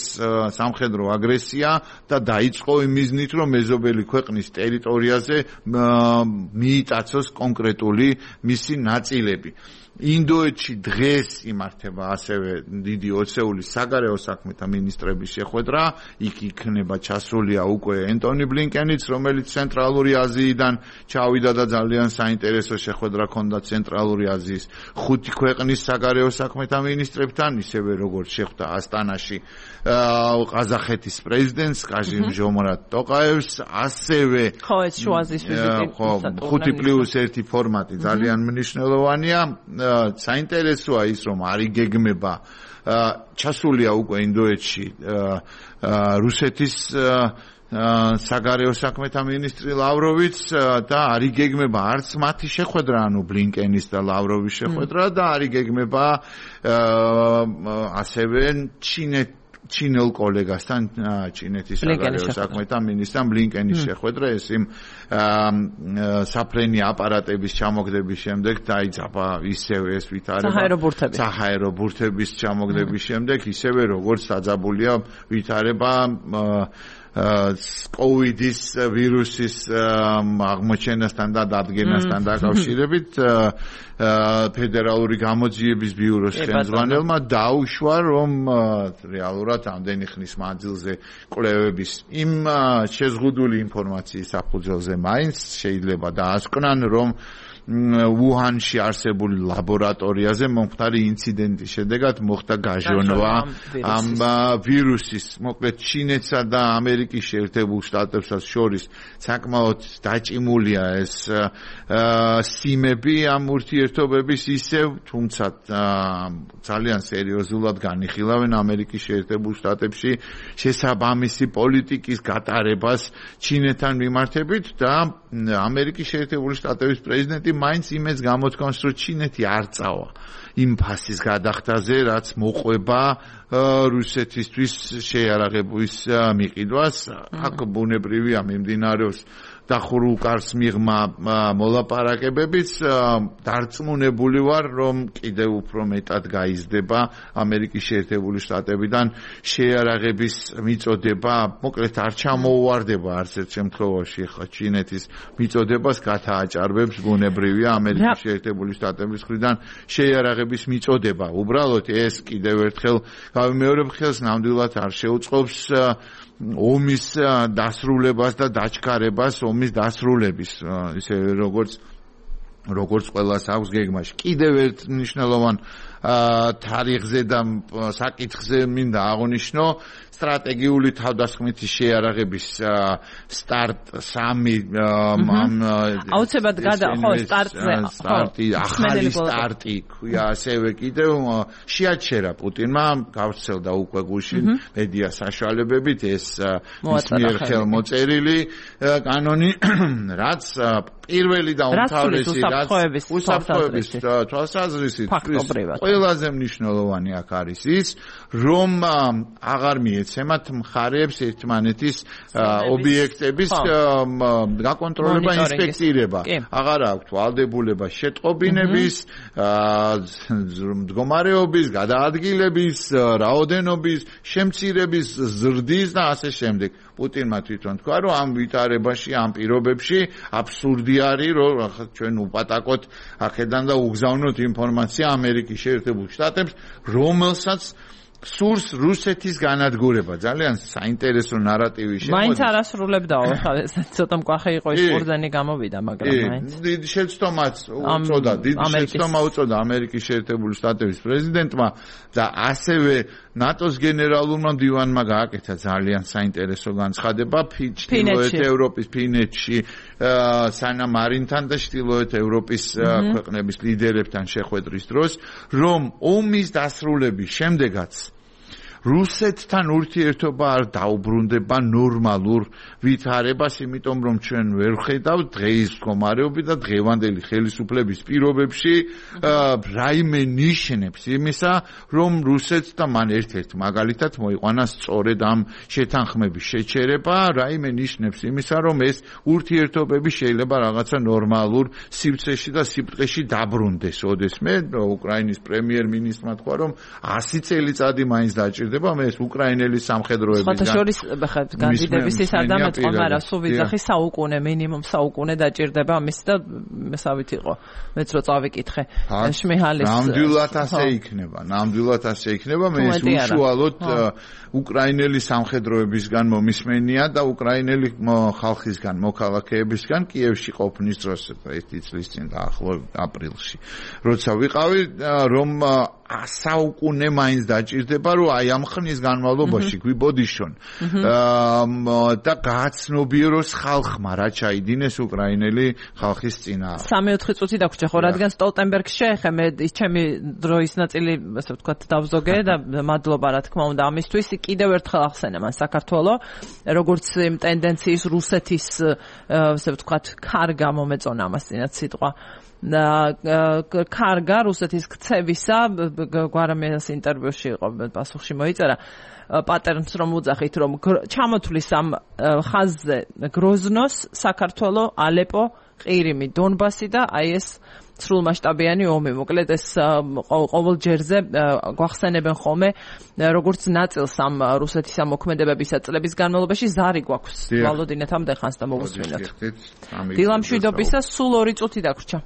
S2: სამხედრო აგრესია და დაიწყო იმ მიზნით, რომ მეზობელი ქვეყნის ტერიტორიაზე მიიტაცოს კონკრეტული მისი ნაწილები. ინდოეთში დღეს იმართება ასევე დიდი ოცეული საგარეო საქმეთა მინისტრების შეხვედრა, იქ იქნება ჩასულია უკვე ენტონი ბლინკენიც, რომელიც ცენტრალური აზიიდან ჩავიდა და ძალიან საინტერესო შეხვედრა ჰქონდა ცენტრალური აზიის ხუთი ქვეყნის საგარეო საქმეთა მინისტრებთან, ისევე როგორც შეხვდა ასტანაში ყაზახეთის პრეზიდენტს კაჟიმ-ჟომარატ ტოყაევს, ასევე
S1: ხო ეს შუაზის ვიზიტი
S2: ხუთი პლუს ერთი ფორმატი ძალიან მნიშვნელოვანია. საინტერესოა ის, რომ არ იგეგმება ჩასულია უკვე ინდოეთში რუსეთის საგარეო საქმეთა მინისტრი ლავროვიც და არ იგეგმება არც მათი შეხვედრა, ანუ ბლინკენის და ლავროვის შეხვედრა და არ იგეგმება ასევე ჩინეთ ჩინელ კოლეგასთან ჩინეთის საგარეო საქმეთა მინისტრთან ბლინკენის შეხვედრა, ეს იმ საფრენი აპარატების ჩამოგდების შემდეგ დაიძაბა ისევე ეს ვითარება საჰაერო ბურთების ჩამოგდების შემდეგ, ისევე როგორც დაძაბულია ვითარება კოვიდის ვირუსის აღმოჩენასთან და დადგენასთან დაკავშირებით ფედერალური გამოძიების ბიუროს ხელმძღვანელმა დაუშვა, რომ რეალურად ამდენი ხნის მანძილზე კვლევების იმ შეზღუდული ინფორმაციის საფუძველზე მაინც შეიძლება დაასკვნან, რომ უჰანში არსებული ლაბორატორიაზე მომხდარი ინციდენტის შედეგად მოხდა გაჟონვა ამ ვირუსის. მოკლედ ჩინეთსა და ამერიკის შეერთებულ შტატებსაც შორის საკმაოდ დაჭიმულია ეს სიმები ამ ურთიერთობების ისევ, თუმცა ძალიან სერიოზულად განიხილავენ ამერიკის შეერთებულ შტატებში შესაბამისი პოლიტიკის გატარებას ჩინეთთან მიმართებით და ამერიკის შეერთებული შტატების პრეზიდენტი მაინც იმეც გამოთქვამს, რომ ჩინეთი არ წავა იმ ფასის გადახდაზე, რაც მოყვება რუსეთისთვის შეიარაღების მიყიდვას. აქ ბუნებრივია მიმდინარეობს დახურულ კარს მიღმა მოლაპარაკებებიც დარწმუნებული ვარ რომ კიდევ უფრო მეტად გაიზრდება ამერიკის შეერთებული შტატებიდან შეიარაღების მიწოდება მოკლედ არ ჩამოუვარდება არც ერთ შემთხვევაში ხა ჩინეთის მიწოდებას გათააჭარბებს ბუნებრივია ამერიკის შეერთებული შტატების მხრიდან შეიარაღების მიწოდება უბრალოდ ეს კიდევ ერთხელ გავიმეორებ ხელს ნამდვილად არ შეუწყობს ომის დასრულებას და დაჩქარებას ომის დასრულების ისე როგორც როგორც ყველას აქვს გეგმაში კიდევ ერთ მნიშვნელოვან თარიღზე და საკითხზე მინდა აღნიშნო სტრატეგიული თავდასხმითი შეიარაღების სტარტ სამი
S1: აუცილებლად გადა ხო სტარტზე
S2: სტარტი ახალი სტარტი ქვია ასევე კიდევ შეაჩერა პუტინმა გავრცელდა უკვე გუშინ მედია საშუალებებით ეს მის მიერ ხელმოწერილი კანონი რაც პირველი და უმთავრესი რაც უსაფრთხოების თვალსაზრისით ყველაზე მნიშვნელოვანი აქ არის ის რომ აღარ მიეცემათ მხარეებს ერთმანეთის ობიექტების გაკონტროლება ინსპექცირება აღარ აქვთ ვალდებულება შეტყობინების მდგომარეობის გადაადგილების რაოდენობის შემცირების ზრდის და ასე შემდეგ პუტინმა თვითონ თქვა რომ ამ ვითარებაში ამ პირობებში აბსურდი არის რომ ჩვენ უპატაკოთ აქედან და უგზავნოთ ინფორმაცია ამერიკის შეერთებულ შტატებს რომელსაც სურს რუსეთის განადგურება ძალიან საინტერესო ნარატივი შემოდის
S1: მაინც არასრულებდაო ეს ცოტა მკვახე იყო ის ყურძენი გამოვიდა მაგრამ მაინც
S2: დიდი შეცდომაც უწოდა დიდი შეცდომა უწოდა ამერიკის შეერთებული შტატების პრეზიდენტმა და ასევე ნატოს გენერალურმა მდივანმა გააკეთა ძალიან საინტერესო განცხადება ჩრდილოეთ ევროპის ფინეთში სანამ არინთან და ჩრდილოეთ ევროპის ქვეყნების ლიდერებთან შეხვედრის დროს რომ ომის დასრულების შემდეგაც რუსეთთან ურთიერთობა არ დაუბრუნდება ნორმალურ ვითარებას, იმიტომ რომ ჩვენ ვერ ხედავთ დღეის მდგომარეობით და დღევანდელი ხელისუფლების პირობებში რაიმე ნიშნებს იმისა, რომ რუსეთს და მან ერთ-ერთ მაგალითად მოიყვანა სწორედ ამ შეთანხმების შეჩერება, რაიმე ნიშნებს იმისა, რომ ეს ურთიერთობები შეიძლება რაღაცა ნორმალურ სივრცეში და სიბრტყეში დაბრუნდეს. ოდესმე უკრაინის პრემიერ-მინისტრმა თქვა, რომ ასი წელიწადი მაინც დაჭირდება მე ეს უკრაინელი სამხედროებისგან
S1: შორის განდიდების ის არ დამეწყო, მაგრამ სულ ვიძახი საუკუნე მინიმუმ საუკუნე დაჭირდება ამის და მესავით იყო მეც რო წავიკითხე შმიჰალის
S2: ნამდვილად ასე იქნება ნამდვილად ასე იქნება მე ეს უშუალოდ უკრაინელი სამხედროებისგან მომისმენია და უკრაინელი ხალხისგან მოქალაქეებისგან კიევში ყოფნის დროს ერთი წლის წინ დაახლოებით აპრილში როცა ვიყავი რომ საუკუნე მაინც დაჭირდება რომ აი ამ ხნის განმავლობაში გვიბოდიშონ და გააცნობიეროს ხალხმა რა ჩაიდინეს უკრაინელი ხალხის წინააღმდეგ. სამი-ოთხი
S1: წუთი დაგვრჩა ხო რადგან სტოლტენბერგს შეეხე მე ის ჩემი დროის ნაწილი ასე ვთქვათ დავზოგე და მადლობა რა თქმა უნდა ამისთვის კიდევ ერთხელ ახსენე მან საქართველოს როგორც იმ ტენდენციის რუსეთის ასე ვთქვათ კარგა მომეწონა ამას წინათ სიტყვა კარგა რუსეთის ქცევისა გვარამიას ინტერვიუში იყო პასუხში მოიწერა პატერნს რომ უძახით რომ ჩამოთვლის ამ ხაზზე გროზნოს საქართველოს ალეპო ყირიმი დონბასი და აი ეს სრულმასშტაბიანი ომი მოკლედ ეს ყოველ ჯერზე გვახსენებენ ხოლმე როგორც ნაწილს ამ რუსეთის ამ მოქმედებებისა წლების განმავლობაში ზარი გვაქვს ვალოდინეთამდე ხანს და მოვუსმინოთ დილამშვიდობისა სულ ორი წუთი დაგვრჩა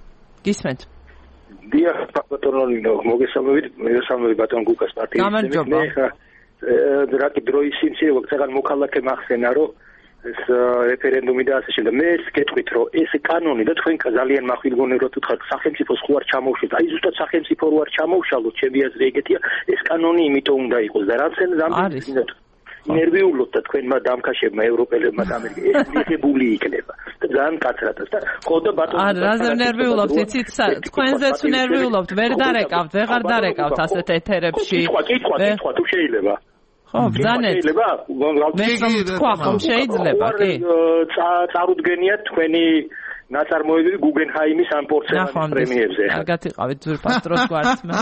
S1: გისმენთ
S5: დიახ ბატონო მოგესალმებით მოგესალმებით ბატონ გუკას პარტიის
S1: გამარჯობა
S5: რა კი დროის სიმცირე ვაგზაგან მოქალაქე მახსენა რომ ეს რეფერენდუმი და ასე შემდეგ მე ეს გეტყვით რომ ეს კანონი და თქვენ ძალიან მახვილგონე რომ თქვა სახელმწიფოს ხო არ ჩამოუშვით აი ზუსტად სახელმწიფო რო არ ჩამოუშალოთ ჩემი აზრი ეგეთია ეს კანონი იმიტომ უნდა იყოს და რაცენ ზამბიზინოთ ნერვიულობთ და თქვენმა დამქაშებმა ევროპელებმა და ამერიკელებს მიღებული იქნება და ძალიან კაცრად და ხო და ბატონო
S1: არა რაზე ნერვიულობთ იცით თქვენზეც ნერვიულობთ ვერ დარეკავთ ვეღარ დარეკავთ ასეთ ეთერებში
S5: კითხვა კითხვა კითხვა თუ შეიძლება
S1: ხო ბძანეთ
S5: შეიძლება
S1: მე თქვა ხომ შეიძლება კი
S5: წარუდგენიათ თქვენი ნაწარმოებები გუგენჰაიმის ან პორცელანის პრემიებზე.
S1: კარგად იყავით ძვირფას დროს გვართმა.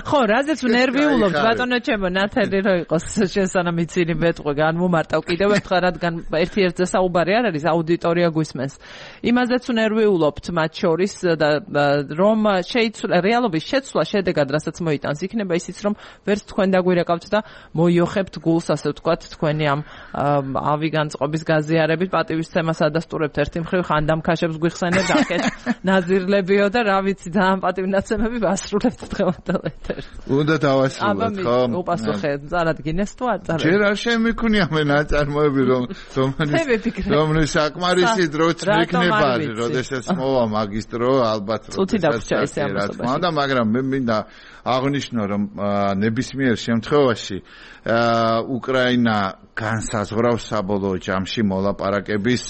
S1: ხო, რაზეც ნერვიულობთ ბატონო ჩემო, ნათელი რო იყოს შესანა მიცინი მეტყვი განმომარტავ კიდევ ერთხელ, რადგან ერთი ერთზე საუბარი არ არის, აუდიტორია გვისმენს. იმაზეც ნერვიულობთ მათ შორის და რომ შეიცვლა რეალობის შეცვლა შედეგად, რასაც მოიტანს, იქნება ისიც რომ ვერც თქვენ დაგვირეკავთ და მოიოხებთ გულს, ასე ვთქვათ, თქვენი ამ ავი განწყობის გაზიარებით პატივისცემას ადასტურებთ ერთი მხრივ ხანდამ ქაშებს გვიხსენებთ აქეთ ნაზირლებიო და რა ვიცი ძალიან პატივნაცემები ვასრულებთ დღევანდელ ეთერს.
S2: უნდა დავასრულოთ ხო?
S1: აბა უპასუხე, წარადგინეს თუ არ წარადგინეს?
S2: ჯერ არ შემიქუნია მე ნაწარმოები რომ რომლის საკმარისი დროც მიქნება, როდესაც მოვა მაგისტრო ალბათ
S1: როდესაც
S2: რა თქმა უნდა, მაგრამ მე მინდა აღნიშნო რომ ნებისმიერ შემთხვევაში უკრაინა განსაზღვრავს საბოლოო ჯამში მოლაპარაკების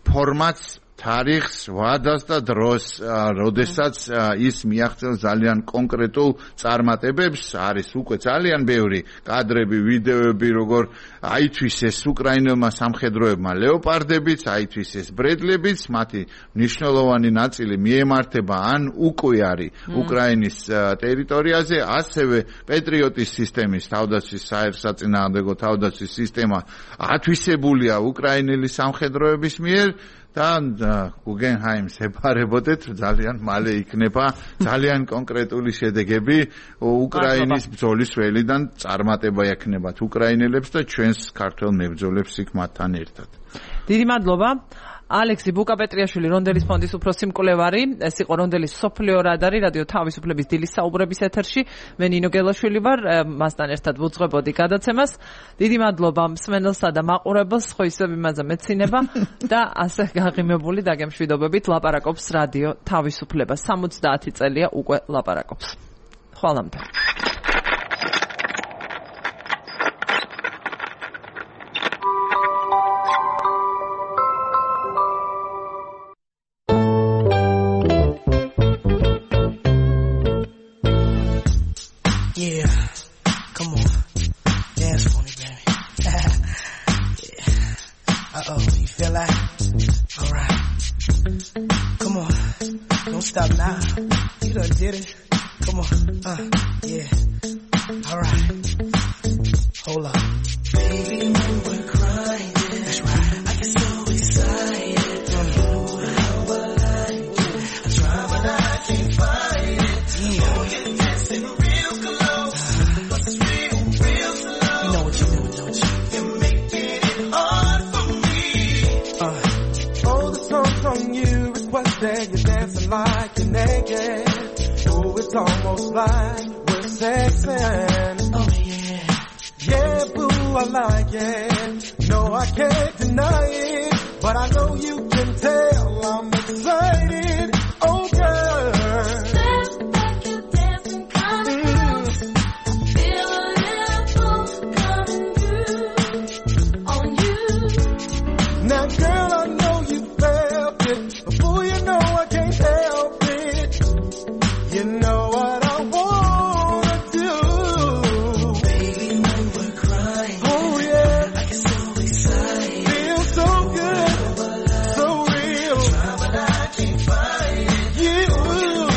S2: ფორმატს, თარიღს, ვადას და დროს, როდესაც ის მიაღწევს ძალიან კონკრეტულ წარმატებებს, არის უკვე ძალიან ბევრი კადრები, ვიდეოები, როგორ აითვისეს უკრაინელმა სამხედროებმა ლეოპარდებიც, აითვისეს ბრედლებიც, მათი მნიშვნელოვანი ნაწილი მიემართება ან უკვე არის უკრაინის ტერიტორიაზე, ასევე პეტრიოტის სისტემის თავდაცვის საერთსაწინააღმდეგო თავდაცვის სისტემა ათვისებულია უკრაინელი სამხედროების მიერ და გუგენჰაიმს ებარებოდეთ, ძალიან მალე იქნება ძალიან კონკრეტული შედეგები უკრაინის ბრძოლის ველიდან წარმატება ექნებათ უკრაინელებს და ჩვენს ქართველ მებრძოლებს იქ მათთან ერთად.
S1: დიდი მადლობა. ალექსი ბუკაპეტრიაშვილი, რონდელის ფონდის უფროსი მკვლევარი, ეს იყო რონდელის სოფლიო რადარი, რადიო თავისუფლების დილის საუბრების ეთერში. მე ნინო გელაშვილი ვარ, მასთან ერთად ვუძღვებოდი გადაცემას. დიდი მადლობა მსმენელსა და მაყურებელს, ხო ისევ იმაზე მეცინება და ასე გაღიმებული დაგემშვიდობებით ლაპარაკობს რადიო თავისუფლება. სამოცდაათი წელია უკვე ლაპარაკობს. ხვალამდე.
S6: Stop now. You done did it. Come on. Uh, yeah. All right. Hold up. Baby, when we're crying, that's right. I get so excited. Don't know how I like it. I try, but I can't find it. Yeah. Oh, you're dancing real close. But it's real, real slow. You know what you're doing, don't you? You're making it hard for me. Uh. Oh, the song's on you. Requested you dancing like you're naked. Oh, it's almost like we're sexing. Oh yeah. Yeah, boo, I like it. No, I can't deny it. But I know you can tell I'm excited. Oh, girl. Dance like you're dancing, coming through. Feel a ripple coming through on you. Now, girl, I know you felt it. Before you know I can't help it. You know what I wanna do. Baby, when we're crying. Oh yeah. I get so excited. Feel so good. So real. Try, but I can't find it. You.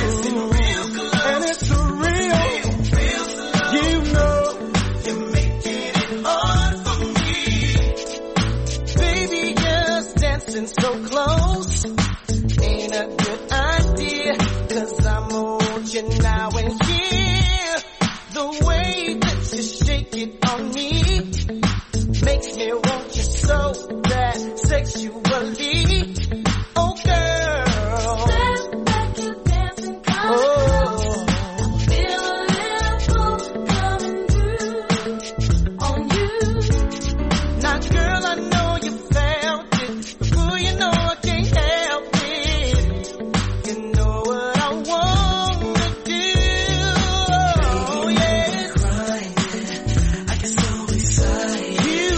S6: It's real close. And it's real. Real slow. You know. You're making it hard for me. Baby, just dancing so close. Ain't a good idea, cause I'm on you now and here. The way that you shake it on me makes me want you so bad sexually. Oh girl, dance like you're dancing, coming oh. Feel a ripple coming through on you. Now girl, I know you felt it. Before you know I can't help it. You know what I wanna do. Oh yeah. Crying, I get so excited. You,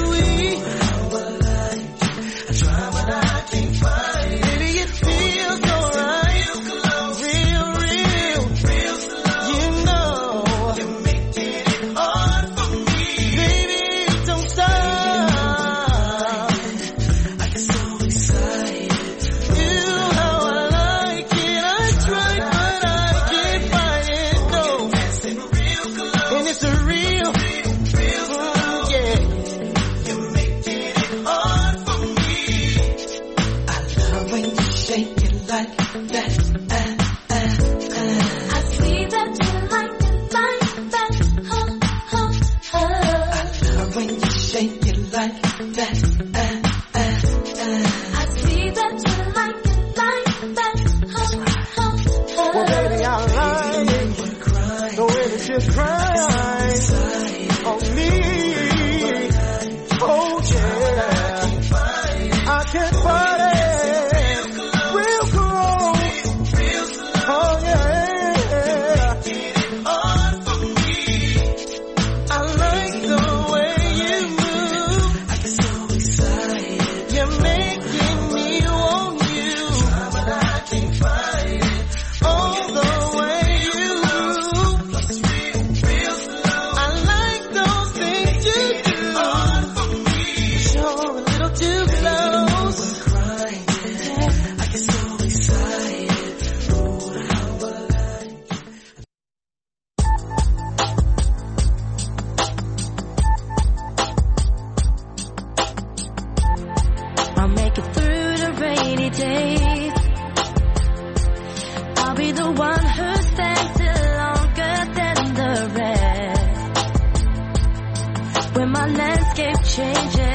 S6: you like that. Uh, uh, uh. I see that you like it like that. That's right. Oh, oh. Well, baby, I like it. The way that you cry on me. Oh, yeah. I can't fight it.
S7: When my landscape changes